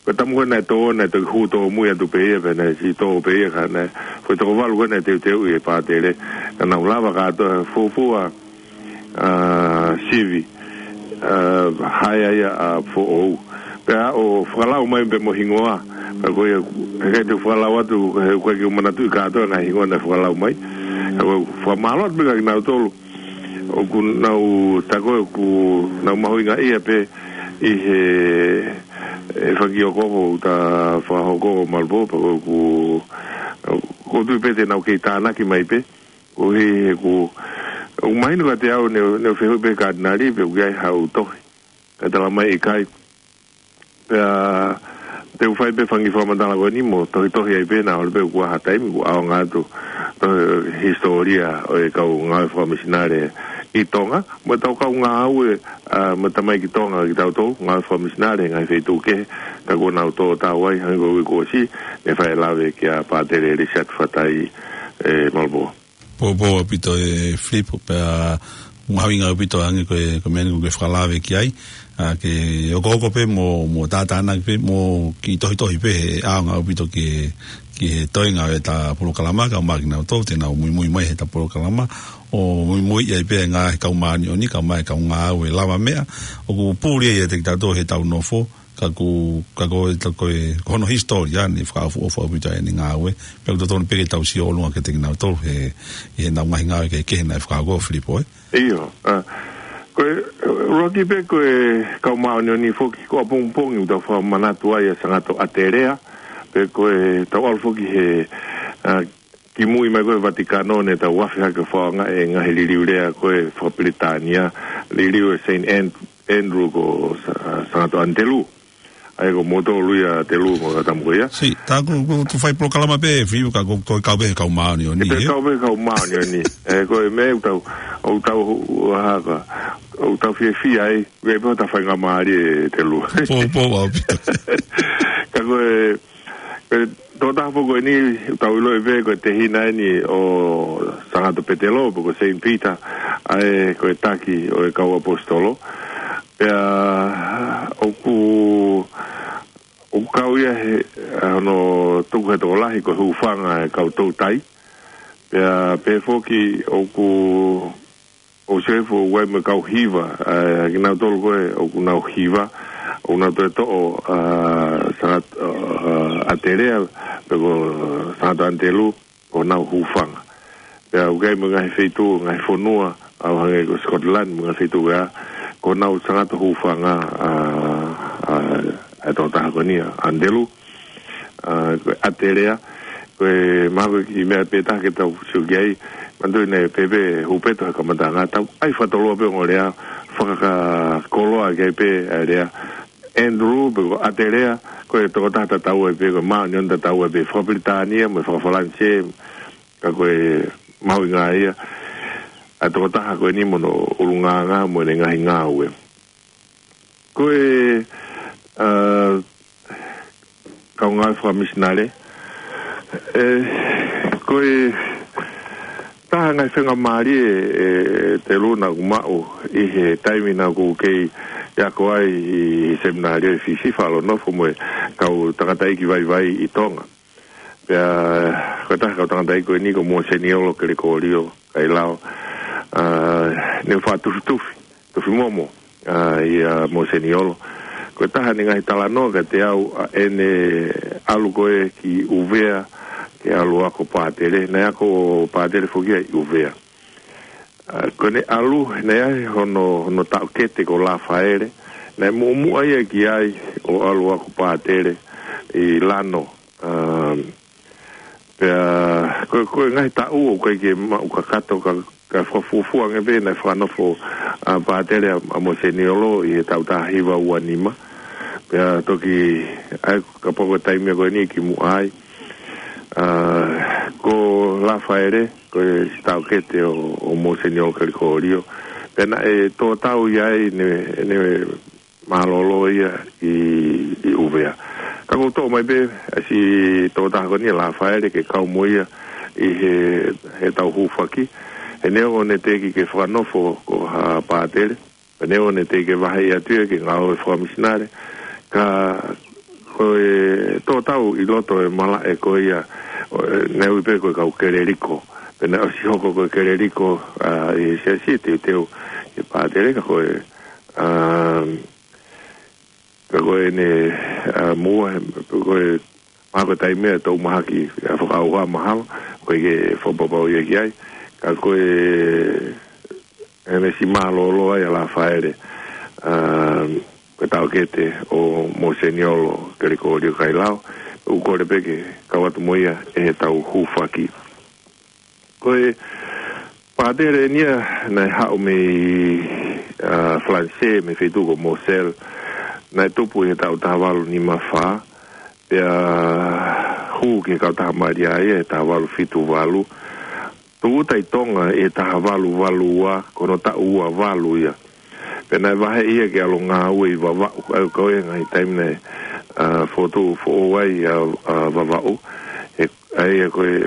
Ko e tamu ko ē naʻe tō, naʻe toki hū tōmui atu pē ia, pea naʻe siʻi tō pē ia ka naʻe, ko e toko valu ko ē naʻe teuteuʻi ʻe Pātele, ka naʻa ku lava kātoa fuofua, ʻa, sivi, ʻa, hae ai ʻa Foʻou. Pea ʻoku fakalau mai pē mo e hingoa. Pea ko ia, he ʻikai te u fakalau atu, he ʻoku ʻikai ke u manatuʻi kātoa e ngaahi hingoa naʻe fakalau mai. Ka ko e fakamālō atu pē kia kinautolu. ʻOku nau, tā ko ē ʻoku nau mahuʻingaʻia pē ʻi he, e fanga kiʻi okooko ʻoku ta fakahoko, mālō, pea ko ʻeku, ʻoku ou tui pē te nau kei tānaki mai pē. Koeʻuhi he ʻoku, ʻoku mahino kiate au ne, ne u fehuʻi pē Katinali pe ʻoku ʻi ai haʻu tohi. Kae tala mai ʻikai. Pea te u fai pē fanga kiʻi fakamatala ko eni mo tohitohi ai pē naʻa ʻohovale pē ʻoku ʻi ai ha taimi ʻoku ʻaonga atu, tohi hisitōlia ʻo e kau ngāue fakamisinale ʻi Tonga, mo e tau kau ngāue, ʻa, mo e tamaiki Tonga kitautolu, ngāue fakamisinale, ngaahi feituʻu kehe, tā kuo nau tō tau ai, hangē ko e uike kuo ʻosi, ne fai e lave kia Pātele Lisiate Fatai, ē, mālō. Poupou ʻaupito ē Filipo, pea mahuʻinga ʻaupito ange ko e, ko e meʻa ni ʻoku ke fakalave ki ai, ʻa, ke okooko pē mo, mo tātānaki pē, mo kiʻi tohitohi pē he ʻaonga ʻaupito ke, ki he toenga ʻo ʻeta polokalama, kae ʻumaʻā kinautolu te nau muimui mai heʻeta polokalama, ʻo muimui ai pē ngaahi kau māʻoniʻoni, kae ʻumaʻā e kau ngāue lavameʻa, ʻoku puli ai ʻiate kitautolu heʻetau nofo, ka ʻoku, ka ko e, ka ko e, ko hono hisitōlia ʻeni fakaʻofoʻofa ʻaupito ʻene ngāue, pea ʻoku totonu pē ke tau sio ʻolunga kiate kinautolu he, ʻi heʻenau ngaahi ngāue kehekehe naʻe fakahoko, Filipo, ē? ʻIo, ʻa, ko e, ʻuluaki pē ko e kau māʻoniʻoni foki, ko ʻapongipongi ʻoku tau fakamanatu ai ʻa Sangato ʻAtelea, pea ko ʻetau ʻalu foki he, ʻa, kimui mai ko ē Vatikano ne tau afe hake fakaʻaongaʻi e ngaahi liliu lea ko ē fakapilitānia, liliu ʻe Saint An-, Andrew ko Sa-, Sangato ʻAnitelū. ʻA ia ko moutolu ia ʻAnitelū mo Tamu ko ia. Sī, tā ko, ko, ko fai polokalama pē, Filipo, ka ko, ko e kau pē he kau māʻoniʻoni, ʻE pē ē? kau pē he kau māʻoniʻoni. ʻE, ko e meʻa ʻoku tau, ʻoku tau, ʻa, ka, ʻoku tau fiefia ai, ʻoku ʻi ai pē hota faingamālie ʻAnitelū. Pō, pō, ʻaupito. Ka ko e, ko e tokotaha foki ko eni, ʻoku tau ʻiloʻi pē ko e tehina ʻeni ʻo Sangato Petelo, pe ko Saint Peter, ʻa ē ko e taki ʻo e kau ʻaposetolo. Pea ʻoku, ʻoku kau ia he, hono tuku he tokolahi ko e hūfanga e kau toutai. Pea pehē foki ʻoku, ʻoku sio hifo ʻoku ʻi ai mo e kau hiva, ʻa, kinautolu ko ē ʻoku nau hiva, ʻoku nau toe toʻo, ʻa, Sangat-, ʻa, ʻAtelea, pe ko Sangato ʻAnitelū, ko honau hūfanga. Pea ʻoku ʻi ai mo e ngaahi feituʻu, ngaahi fonua, ʻo hangē ko Scotland, mo e ngaahi feituʻu ia, ko honau Sangato hūfanga, ʻa, ʻa, ʻa e tokotaha ko eni ʻa ʻAnitelū, ʻa, ko e ʻAtelea, ko e mahalo ko e kiʻi meʻa pē taha ke tau sio ki ai, manatuʻi naʻe pehē ʻe Hupeto he kamataʻanga, tau ʻai fakatoloa pē ongo lea, fakakoloa ki ai pē ʻa e lea, Andrew, pe ko ʻAtelea, ko e tokotaha tatau ai pē, ko e māʻoniʻoni tatau ai pē, fakapilitānia, mo e fakafalanisē, ka ko e mahuʻinga ia ʻa e tokotaha ko eni mo hono ʻulungaanga mo ʻene ngaahi ngāue. Ko e, ʻa, kau ngāue fakamisinale, ʻe, ko e taha e ngaahi faingamālie ʻe, ʻe Telū naʻa ku maʻu ʻi he taimi naʻa ku kei ako ai ʻi he seminalio ʻi Fisi, fakanofo mo e kau tangataʻeiki vaivai ʻi Tonga. Pea, ko e taha e kau tangataʻeiki ko eni ko Mōseniolo Kelekolio Kailao, ʻa, ne u fakatufi, tufi momo, ʻa, ʻia Mōseniolo. Ko e taha ʻene ngaahi talanoa kiate au, ʻa, ʻene ʻalu ko ē ki ʻUvea, ke ʻalu ʻo ako pātele, naʻe ako pātele foki ia ʻi ʻUvea. ʻA, ko ʻene ʻalu, naʻe ʻi ai hono, hono taʻokete ko Lafaele, naʻe muʻomuʻa ia ki ai ʻo ʻalu ʻo ako pātele ʻi Lano, ʻa, pea, ko, ko e ngaahi taʻu ʻoku ʻikai ke maʻu kakato ka, ka fakafuofua ange pē naʻe fakanofo, ʻa, pātele ʻa, ʻa Mōseniolo ʻi he taʻu taha hiva ua nima. Pea toki, ʻai, kapau ko e taimi ko eni kimuʻa ai. ʻA, ko Lafaele, ko e siʻi taʻokete ʻo, ʻo Mōseniolo Kelekolio. Pea naʻe tō tau ia ai ne, ne mālōlō ia ʻi, ʻi ʻUvea. Ka ʻoku ou toʻo mai pē, ʻa e siʻi tokotaha ko eni Lafaele ke kau mo ia ʻi he, he tau hūfaki. He neongo ne teʻeki ke fakanofo ko ha pātele. He neongo ne teʻeki ke vaheʻi atu ia ke ngāue fakamisinale. Ka ko e tō tau ʻi loto e malaʻe ko ia, ʻo, ʻe, naʻe ui pē ko e kau Keleliko. Pea naʻe ʻosi hoko ko e Keleliko, ʻa, ʻi he siasi teuteu ʻi he pātele ka ko e, ʻa, ka ko ʻene, ʻa, muʻa, he, ko e, mahalo ko e taimi ʻe tau mahaki, ʻa, fakaʻauha mahalo, ʻoku ʻikai ke fakapapauʻi ia ki ai. Ka ko e, ʻene siʻi mālōlō ai ʻa Lafaele, ʻa, ko e taʻokete ʻo Mōseniolo Kelekolio Kailao, ʻoku kole pē ke kau atu mo ia ʻi he tau hūfaki. Ko e pātele eni ia naʻe haʻu mei, ʻa, Falanisē, mei he feituʻu ko Moselle, naʻe tupu ʻi he taʻu taha valu nima fā, pea hū ki he Kautaha Malia ia he taha valu fitu valu. Tūʻuta ʻi Tonga ʻi he taha valu valu ua, ko hono taʻu ua valu ia. Pea naʻe vaheʻi ia ke ʻalu ʻo ngāue ʻi Vavaʻu, ʻa ia ko e ngaahi taimi naʻe, ʻa, fotu foʻou ai ʻa, ʻa Vavaʻu. He, ʻa ia ko e,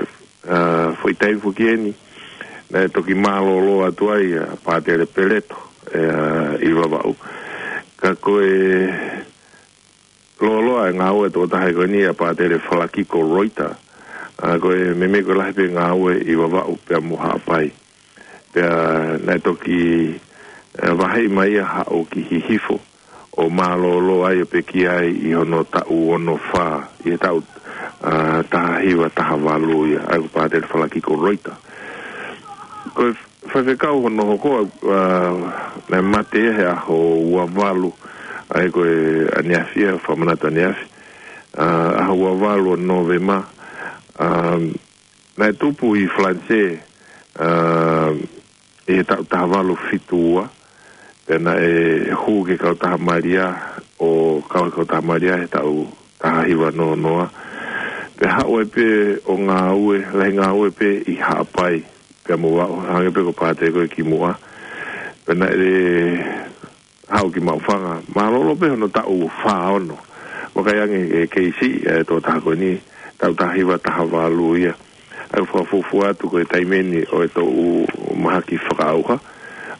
ʻa, foʻi taimi foki eni, naʻe toki mālōlō atu ai ʻa Pātele Peleto, ʻe, ʻa, ʻi Vavaʻu. Ka ko e lōloa e ngāue ʻa e tokotaha ko eni ʻa Pātele Falakiko Roita, ʻA, ko e meimei ko e lahi pē ngāue ʻi Vavaʻu pea mo Haʻapai. Pea naʻe toki, ʻe, vaheʻi mai ia haʻu ki Hihifo ʻo mālōlō ai ʻo pekia ai ʻi hono taʻu ono fā, ʻi he taʻu, ʻa, taha hiva taha valu ia, ʻa ia ko Pātele Falakiko Roita. Ko e faifekau hono hoko, ʻa, naʻe mate ia he ʻaho ua valu, ʻa ia ko e ʻaneafi ia, fakamanatu ʻaneafi. ʻA, ʻaho ua valu ʻo Nōvema, ʻa, naʻe tupu ʻi Falanisē, ʻa, ʻi he taʻu taha valu fitu ua, pea naʻe hū ki he kautaha Malia, ʻo kau he kautaha Malia he taʻu taha hiva noa noa. Pea haʻu ai pē ʻo ngāue, lahi ngāue pē ʻi Haʻapai, pea mo Vavaʻu, hangē pē ko Pātele ko ē kimuʻa. Pea naʻe haʻu ki Maʻufanga, mālōlō pē hono taʻu fā ono. Vakai ange e keisi, ʻe, tokotaha ko eni, taʻu taha hiva taha valu ia. ʻA ia fakafuofua atu ko e taimi eni ʻo e toʻu mahaki fakaʻauha.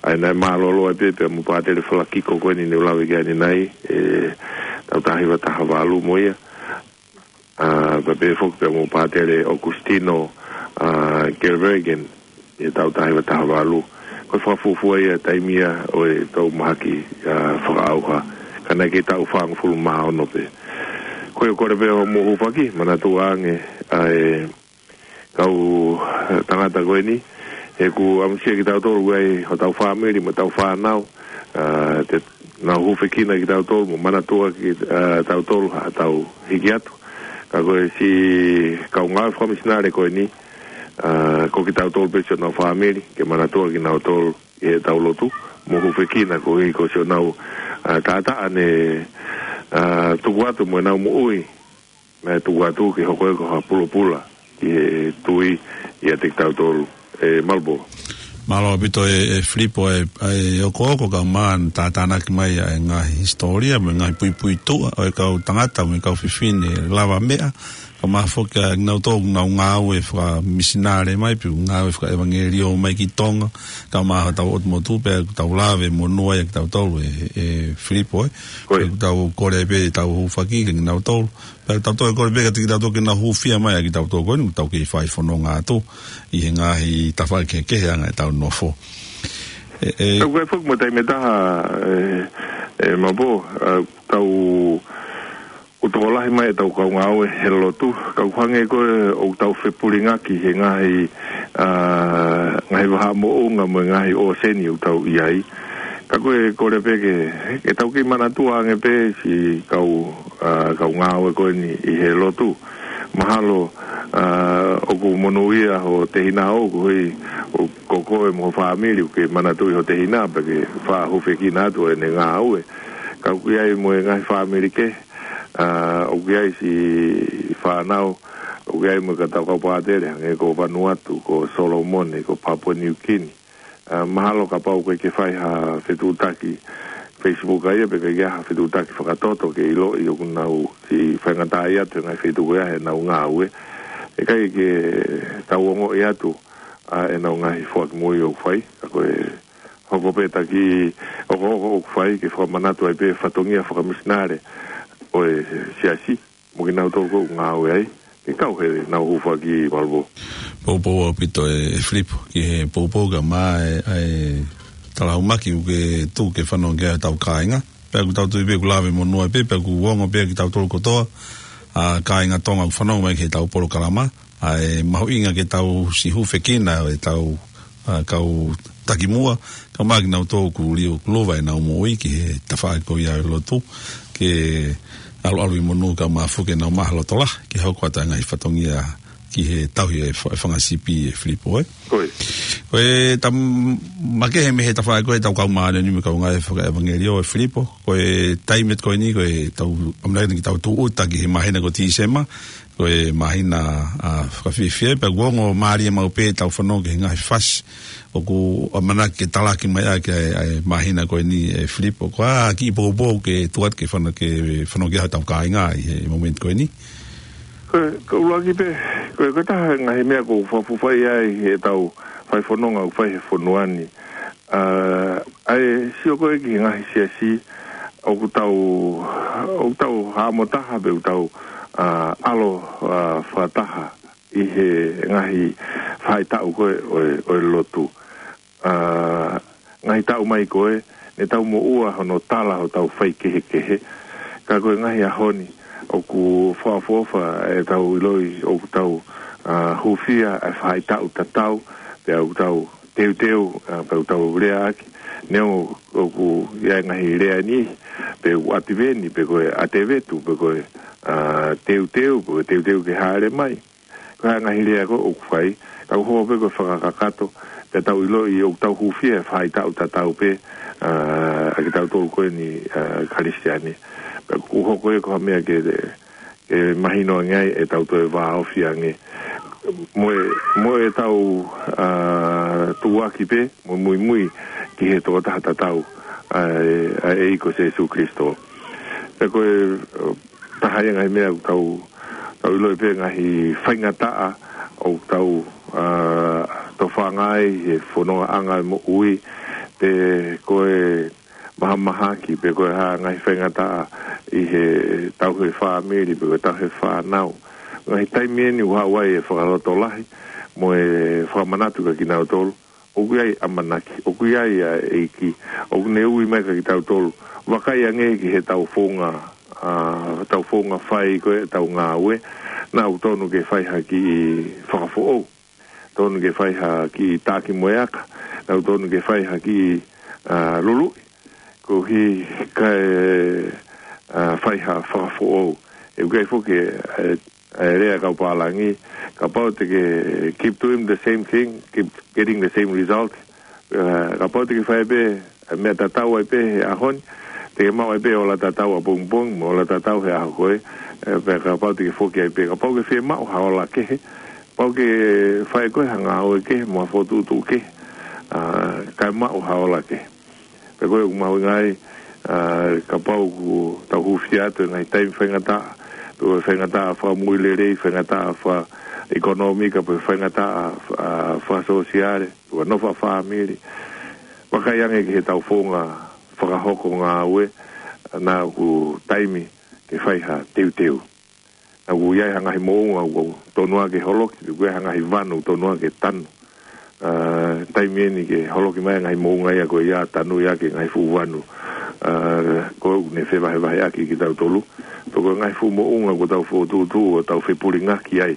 ʻA ia naʻe mālōlō ai pē pea mo Pātele Falakiko ko eni ne u lave ki ai ʻanenai, ʻe, taʻu taha hiva taha valu mo ia. ʻA, pea pehē foki pea mo Pātele ʻOkusitino, ʻa, Gelbergen, ʻi he taʻu taha hiva taha valu. Ko e fakafuofua ia taimi ia ʻo e toʻu mahaki, ʻa, fakaʻauha. Ka naʻe kei taʻu fāngofulu mā ono pē. Ko ia, kole pē hoʻomou hūfaki, manatua ange ʻa e kau tangata ko eni, he ʻoku ʻamusia kitautolu ai hotau fāmili mo ʻetau fānau, ʻa, te nau hūfekina kitautolu mo manatua ki, ʻa, tautolu haʻatau hiki atu. Ka ko e siʻi kau ngāue fakamisinale ko eni, ʻa, ko kitautolu pē siʻonau fāmili, ke manatua kinautolu ʻi heʻetau lotu, mo hūfekina koeʻuhi ko siʻonau, ʻa, taʻataʻa ne, ʻa, tuku atu mo ʻenau moʻui, naʻe tuku atu ke hoko ia ko ha pulopula ki he tui ʻiate kitautolu, ʻe Malbo. Mālō ʻaupito ʻe, ʻe Filipo ʻa e, ʻa e okooko kae ʻumaʻā ʻene tātānaki mai ʻa e ngaahi hisitōlia mo e ngaahi puipuituʻa ʻo e kau tangata mo e kau fefine lavameʻa, kae ʻumaʻā foki ʻa kinautolu ʻoku nau ngāue fakamisinale mai, pe ʻoku ngāue fakaʻevangeliō mai ki Tonga, kae ʻumaʻā hotau ʻotu motu, pea ʻoku tau lave monū ai ʻa kitautolu ʻe, ʻe Filipo, ʻe. Ko ia. Pea ʻoku tau kole pē ʻetau hūfaki kia kinautolu. Pea tau toe kole pē kiate kitautolu ke nau hūfia mai ʻa kitautolu ko eni ʻoku tau kei fai fononga atu ʻi he ngaahi tafaʻaki kehekehe ʻa e anga ʻetau nofo. ʻE, ʻe. Tau kei foki mo taimi ʻe taha, ʻe, ʻe Mapo, ʻa, tau, ʻoku tokolahi mai ʻetau kau ngāue he lotu, ka ʻoku hangē ko ē ʻoku tau fepulingaki he ngaahi, ʻa, ngaahi vahaʻa moʻunga mo e ngaahi ʻōseni ʻoku tau ʻi ai. Ka ko e kole pē ke, ke tau kei manatua ange pē siʻi kau, ʻa, kau ngāue ko eni ʻi he lotu. Mahalo, ʻa, ʻoku monūʻia ho tehina ʻoku hui, ʻo ko koe mo ho fāmili ʻoku ke manatuʻi ho tehina pea ke fakahūfekina atu ʻene ngāue. Ka ʻoku ʻi ai mo e ngaahi fāmili kehe, ʻa, ʻoku ʻi ai siʻi fānau, ʻoku ʻi ai mo e kau tau kau pātele, hangē ko Vanuatu, ko Solomone, ko Papua New Guinea. ʻA, mahalo kapau ʻoku ʻikai ke fai ha fetuʻutaki Facebook ʻa ia, pe ʻikai ke ʻi ai ha fetuʻutaki fakatoto ke ʻiloʻi ʻoku nau siʻi faingataʻaʻia atu he ngaahi feituʻu ko ia heʻenau ngāue. ʻIkai ke tau ongoʻi atu ʻa ʻenau ngaahi foaki moʻui ʻoku fai, ka ko e hoko pē taki ʻoku, ʻoku, ʻoku fai ke fakamanatu ai pē fatongia fakamisinale ʻo e siasi. Mo kinautolu ʻoku ngāue ai, ke kau heʻenau hūfaki, Malvo. Poupou ʻaupito ʻe, ʻe Filipo, ki he poupou kae ʻumaʻā e, e talaumaki ʻoku ke tuku ke fanongo ki ai hotau kāinga. Pea ʻoku tau tui pē ʻoku lave monū ai pē, pea ʻoku ongo pē kitautolu kotoa, ʻa, kāinga Tonga ʻoku fanongo mai ki heʻetau polokalama, ʻa e mahuʻinga ke tau siʻi hūfekina ʻetau, ʻa, kau takimuʻa, kae ʻumaʻā kinautolu ʻoku liliu, ʻoku lava ʻenau moʻui ki he tafaʻaki ko ia ʻo e lotu, ke ʻaluʻalu ʻi monū kae ʻumaʻā foki ʻenau maʻu ha loto lahi, ke hoko atu ʻa e ngaahi fatongia ki he tauhi ʻa e fa-, ʻa e fanga sipi, ʻe Filipo, ē? Ko ia. Ko e tam-, makehe mei he tafaʻaki ko ē ʻetau kau māʻoniʻoni mo e kau ngāue fakaʻevangeliō, ʻe Filipo, ko e taimi ko eni, ko ʻetau ʻamanaki ke tau tūʻuta ki he māhina ko Tīsema, ko e māhina, ʻa, fakafiefia, pea ʻoku ongo mālie maʻu pē ʻetau fanongo ki he ngaahi fasi ʻoku ʻamanaki ke talaki mai ʻaki ʻa e, ʻa e māhina ko eni, ʻe Filipo. Ko e hā e kiʻi poupou ke tuku atu ke fana-, ke fanongo ki ai hotau kāinga ʻi he momeniti ko eni? Ko e, ko e ʻuluaki pē, ko e, ko e taha e ngaahi meʻa ʻoku fakafuofua ai ʻetau fai fononga ʻoku fai he fonua ni. ʻA, ʻa e sio ko ē ki he ngaahi siasi ʻoku tau, ʻoku tau haʻamo taha pe ʻoku tau, ʻa, ʻalu, ʻa, fakataha ʻi he ngaahi faʻahitaʻu ko ē ʻo e, ʻo e lotu. ʻA, ngaahi taʻu mai ko ē, ne tau moʻua hono tala hotau faikehekehe. Ka ko e ngaahi ʻaho ni, ʻoku fakaʻofoʻofa ʻetau ʻiloʻi, ʻoku tau, ʻa, hūfia ʻa e faʻahitaʻu tatau, pea ʻoku tau teuteu, ʻa, pea ʻoku tau leaʻaki, neongo ʻoku ʻi ai e ngaahi lea ni, pe ʻoku ʻativeni, pe ko e ʻatevetu, pe ko e, ʻa, teuteu, pe ko e teuteu ke hāʻele mai. Ko e ngaahi lea ko ē ʻoku fai, tau hoko pē ko e fakakakato, pea tau ʻiloʻi ʻoku tau hūfia he faʻahitaʻu tatau pē, ʻa, ʻa kitautolu ko eni, ʻa, Kalisitiane. Pea ʻoku hoko ia ko ha meʻa ke, ke mahino ange ai ʻetau toe vāofi ange. Mo e, mo ʻetau, ʻa, tuʻuaki pē, mo e muimui ki he tokotaha tatau, ʻa, ʻa e ʻEiki ko Sīsū Kalaisi. Pea ko e, ʻa, taha ia e ngaahi meʻa ʻoku tau, tau ʻiloʻi pē ngaahi faingataʻa ʻoku tau, ʻa, tofanga ai he fonongaʻanga e moʻui, pe ko e mahamahaki, pe ko e hā ngaahi faingataʻa ʻi he tauhi e fāmili, pe ko e tauhi e fānau. Ngaahi taimi eni ʻoku haʻu ai e fakalotolahi, mo e fakamanatu kia kinautolu ʻoku ʻi ai e ʻamanaki, ʻoku ʻi ai ʻa e ʻEiki, ʻoku ne ui mai kia kitautolu. Vakai ange ki heʻetau founga, ʻa, tau founga fai ko ē ʻetau ngāue, naʻa ʻoku tonu ke fai ha kiʻi fakafoʻou, tonu ke fai ha kiʻi taʻaki mo e aka, naʻa ʻoku tonu ke fai ha kiʻi, ʻa, luluʻi, koeʻuhi kae, ʻa, fai ha fakafoʻou. ʻOku ʻi ai foki e, e, e lea kau pālangi, kapau te ke keep doing the same thing, keep getting the same result. ʻA, kapau te ke fai pē e meʻa tatau ai pē he ʻaho ni, te ke maʻu ai pē ola tatau ʻapongipongi, mo ola tatau he ʻaho ko ē, ē, pea kapau te ke foki ai pē, kapau ke fiemaʻu ha ola kehe, kapau ke fai ko ē ha ngāue kehe, mo ha fokotuʻutuʻu kehe, ʻa, kae maʻu ha ola kehe. Pea ko e ʻoku mahuʻinga ai, ʻa, kapau ʻoku tau hūfia atu e ngaahi taimi faingataʻa, pe ko e faingataʻa fakamoʻui lelei, faingataʻa fakaʻekonōmika, pe faingataʻa, ʻa, fakasōsiale, pe ko e nofo fakafāmili. Vakai ange ki heʻetau founga fakahoko ngāue, naʻa ʻoku taimi ke fai ha teuteu. Naʻa ʻoku ʻi ai ha ngaahi moʻunga ʻoku tonu ā ke holoki, ʻoku ʻi ai ha ngaahi vanu ʻoku tonu ā ke tanu. ʻA, taimi eni ke holoki mai e ngaahi moʻunga ia ko ia, tanu ia ki he ngaahi fuʻu vanu. ʻA, ko ʻene fevahevaheʻaki kitautolu. Pea ko e ngaahi fuʻu moʻunga ʻoku tau fokotuʻutuʻu ʻo tau fepulingaki ai.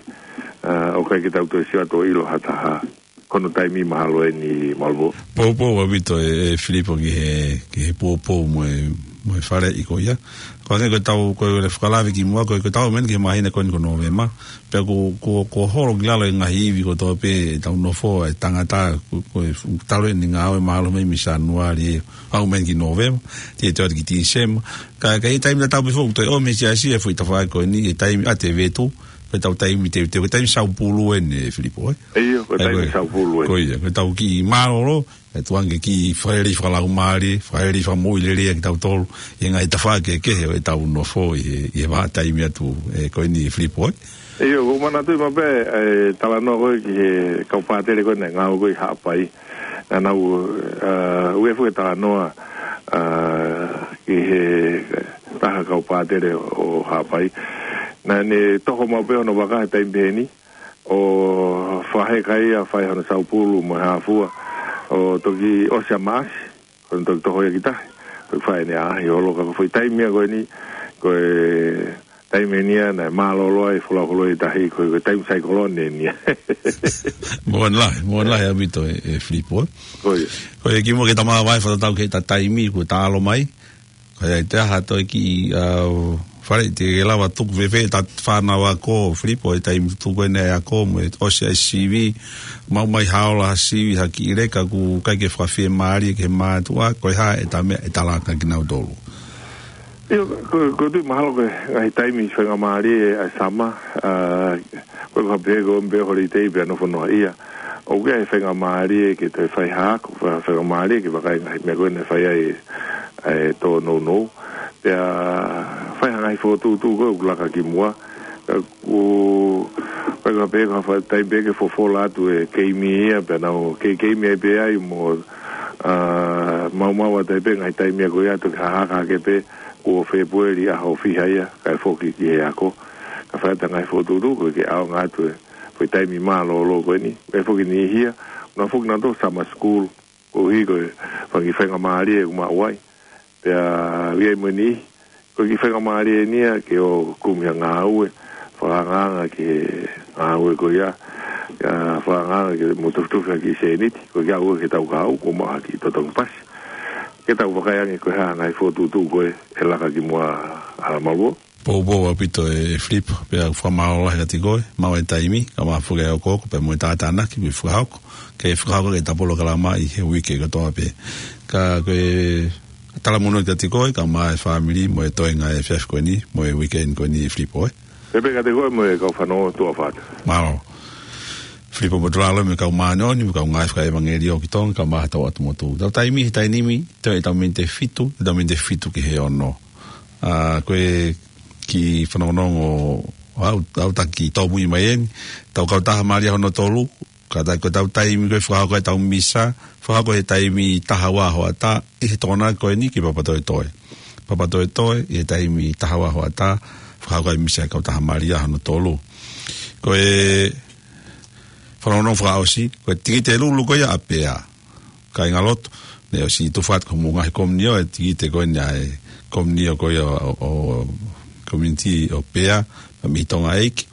ʻA, ʻoku ʻikai ke tau toe sio atu ʻo ʻilo ha taha. Ko hono taimi mahalo eni, Malvo. Poupou ʻaupito ʻe, ʻe Filipo ki he, ki he poupou mo e, mo e faleʻi ko ia. Ko e hangē ko ʻetau, ko e fakalave kimuʻa, ko e, ko ʻetau ʻamanaki ki he māhina ko eni ko Nōvema. Pea ko, ko, ko e holo ki lalo e ngaahi ivi kotoa pē ʻetau nofo, e tangata, ko, ko e fu-, talu eni ngāue mālohi mai mei Sānuali ʻo aʻu mai ki Nōvema, te, te ʻoatu ki Tīsema. Ka, ka ʻi he taimi tatau pē foki, toe ʻomi he siasi e foʻi tafaʻaki ko eni, e taimi ʻatevetu, ko ʻetau taimi teuteu, ko e taimi saupulu eni, ʻe Filipo, ē? ʻIo, ko e taimi saupulu eni. Ko ia, ko ʻetau kiʻi mālōlō, ʻe tuʻu ange ke kiʻi fakaʻelei fakalaumālie, fakaʻelei fakamoʻui lelei ʻa kitautolu, ʻi he ngaahi tafaʻaki kehekehe ʻo ʻetau nofo ʻi he, ʻi he vahaʻa taimi atu, ē, ko eni, ʻe Filipo, ē? ʻIo, ʻoku ou manatuʻi maʻu pē, ʻa e talanoa ko ē ki he kau pātele ko ē naʻe ngāue ko ē ʻi Haʻapai. Naʻa nau, ʻa, ʻoku ʻi ai foki e talanoa, ʻa, ki he taha kau pātele ʻo Haʻapai. Naʻa ne toho maʻu pē hono vaka he taimi pehē ni, ʻo fakaheka ia, fai hono saupulu mo e hā fua, ʻo toki ʻosi ʻa Maʻasi, ko ʻene toki toho ia ki tahi, ko e fai ʻene ʻaʻahi holo. Ka ko e foʻi taimi ia ko eni, ko e taimi eni ia naʻe mālōlō ai e folau holo ʻi tahi, ko e, ko e taimi saikolone eni ia. Moʻoni lahi, moʻoni lahi ʻaupito ʻe, ʻe Filipo, ē? Ko ia. Ko ia kimuʻa ke ta māvae fakatatau ki heʻeta taimi kuo ta ʻalu mai. Ko ia ʻi he taha toe kiʻi, ʻa, fale te ke lava tuku fēfē ʻeta fānau ako, Filipo, ʻi he taimi tuku eni e ako, mo e ʻosi ʻa e sivi, maʻu mai ha ola ha sivi, ha kiʻi leka ʻoku ʻikai ke fakafiemālie ki he mātuʻa, ko e hā ʻeta meʻa ʻe talaki kia kinautolu? ʻIo, ko, ko e tuʻu mahalo ko e ngaahi taimi faingamālie ʻa e summer, ʻa, ko e kapē ko e ʻomi pē holiday pea nofo noaʻia. ʻOku ʻi ai e faingamālie ke toe fai ha ako, fa-, faingamālie ke vakai ngaahi meʻa ko ē naʻe fai ai e tōnounou. Pea fai ha ngaahi fokotuʻutuʻu ko ē ʻoku laka kimuʻa. Ka ʻoku, ko e kapē ko ha fai taimi pē ke fofola atu e keimi ia, pea nau kei keimi ai pē ai mo, ʻa, maumau atu ai pē ngaahi taimi ia ko ia ʻo toki hahaka hake pē, kuo Fēpueli ʻaho fiha ia, kae foki ki he ako. Ka fai atu e ngaahi fokotuʻutuʻu ko ē ke ʻaonga atu e Ko e taimi mālōlō ko eni, ʻe foki ni hia, na foki na to summer school, ko hiko e fanga kiʻi faingamālie ʻoku maʻu ai. Pea ʻi ai mo eni, ko e kiʻi faingamālie eni ia ke ō kumi ha ngāue, fakaangaanga ki he ngāue ko ia, ʻa, fakaangaanga ke mo tufitufi ha kiʻi sēniti, ko e kiʻi ngāue ke tau kau, ko maha ki totongi pasi. Ke tau vakai ange ko e hā ngaahi fokotuʻutuʻu ko ē, ʻe laka ki muʻa ʻa Maluo. Poupou ʻaupito ʻe Filipo, pea fakamālō lahi kiate koe, maʻu e taimi, kae ʻumaʻā foki e hokohoko, pea mo e tātānaki, mo e fakahoko, ke fakahoko ʻetau polokalama ʻi he uike kotoa pē. Ka ko e talamonū kiate koe, kae ʻumaʻā e fāmili, mo e toenga ʻi he efiafi ko eni, mo e weekend ko eni ʻe Filipo, ē. Pea pehē kiate koe mo e kau fanongo tuʻa ʻofa atu. Mālō. Filipo Motulalo mo e kau māʻoniʻoni, mo e kau ngāue fakaʻevangeliō ki Tonga, kae ʻumaʻā hotau ʻatu motu. Tau taimi, he taimi ni, toe ʻetau miniti ʻe fitu, ʻetau miniti ʻe fitu ki he ono. ʻA, ko e kiʻi fanongonongo ʻo ʻetau, ʻetau taki tōmui mai eni. Tau kautaha Malia hono tolu, kātaki ko ʻetau taimi ko ē fakahoko ʻetau misa, fakahoko he taimi taha ua hoʻatā, ʻi he Tokonaki ko eni ki Papatoetoe. Papatoetoe, ʻi he taimi taha ua hoʻatā, fakahoko e misa ʻa e kautaha Malia hono tolu. Ko e fanongonongo fakaʻosi, ko e tikite lulu ko ia ʻa Pea. Kāingalotu, naʻe ʻosi tufa atu ki homou ngaahi komiunitī e tikite ko eni ʻa e komiunitī ko ia ʻo, ʻo, komiunitī ʻo Pea, mei Tonga ʻEiki.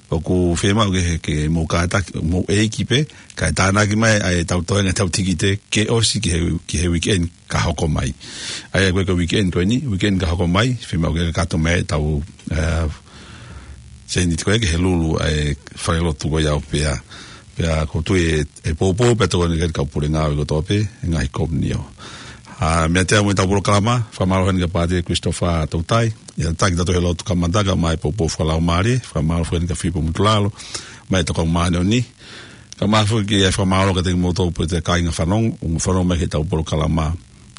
ʻOku fiemaʻu ke, ke mou kātaki, mou ʻeiki pē, kae tānaki mai ʻa ʻetau toenga ʻetau tikite, ke ʻosi ki he, ki he weekend ka hoko mai. ʻA ia ko e weekend ko eni, weekend ka hoko mai, fiemaʻu ke kakato mai ʻetau, ē, sēniti ko ē ki he lulu ʻa e falelotu ko ia ʻo Pea. Pea ʻoku ou tui ʻe, ʻe poupou pē ʻa e toenga ʻa e kau pule ngāue kotoa pē, ʻa e ngaahi komiunitī. ʻA, meiate au mo ʻetau polokalama, fakamālō heni kia Pātele Christopher Tautai, ʻi he taki atu he lotu kamata kae ʻumaʻā e poupou fakalaumālie, fakamālō heni kia Filipo Motulalo, mo e kau māʻoniʻoni, kae ʻumaʻā foki e fakamālō kiate kimoutolu pē ʻa e kāinga fanongo, ʻoku mou fanongo mai ki heʻetau polokalama,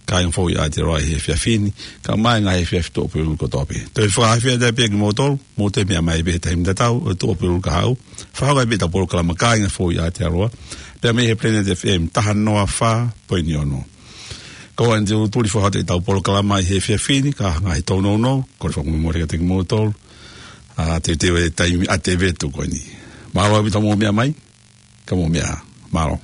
kāinga foʻou ʻi Aotearoa ʻi he efiafi ni, kae ʻumaʻā e ngaahi efiafi tuʻuapulelulu kotoa pē. Toe fakafetaʻi pē kimoutolu, mou toe meʻa mai pē he taimi tatau, ʻo e tuʻuapulelulu kahaʻu. Fakahoko ai pē ʻetau polokalama kāinga foʻou ʻi Aotearoa, pea mei he Planet F M taha noa fā poini ono. Ko eni te u tuli fakahoko atu ʻetau polokalama ʻi he efiafi ni, ka ngaahi tōnounou, kole fakamolemole kiate kimoutolu, ʻa, teuteu e taimi ʻa e vetu ko eni. Mālō ʻaupito hoʻomou meʻa mai, ka mou meʻa ā. Mālō.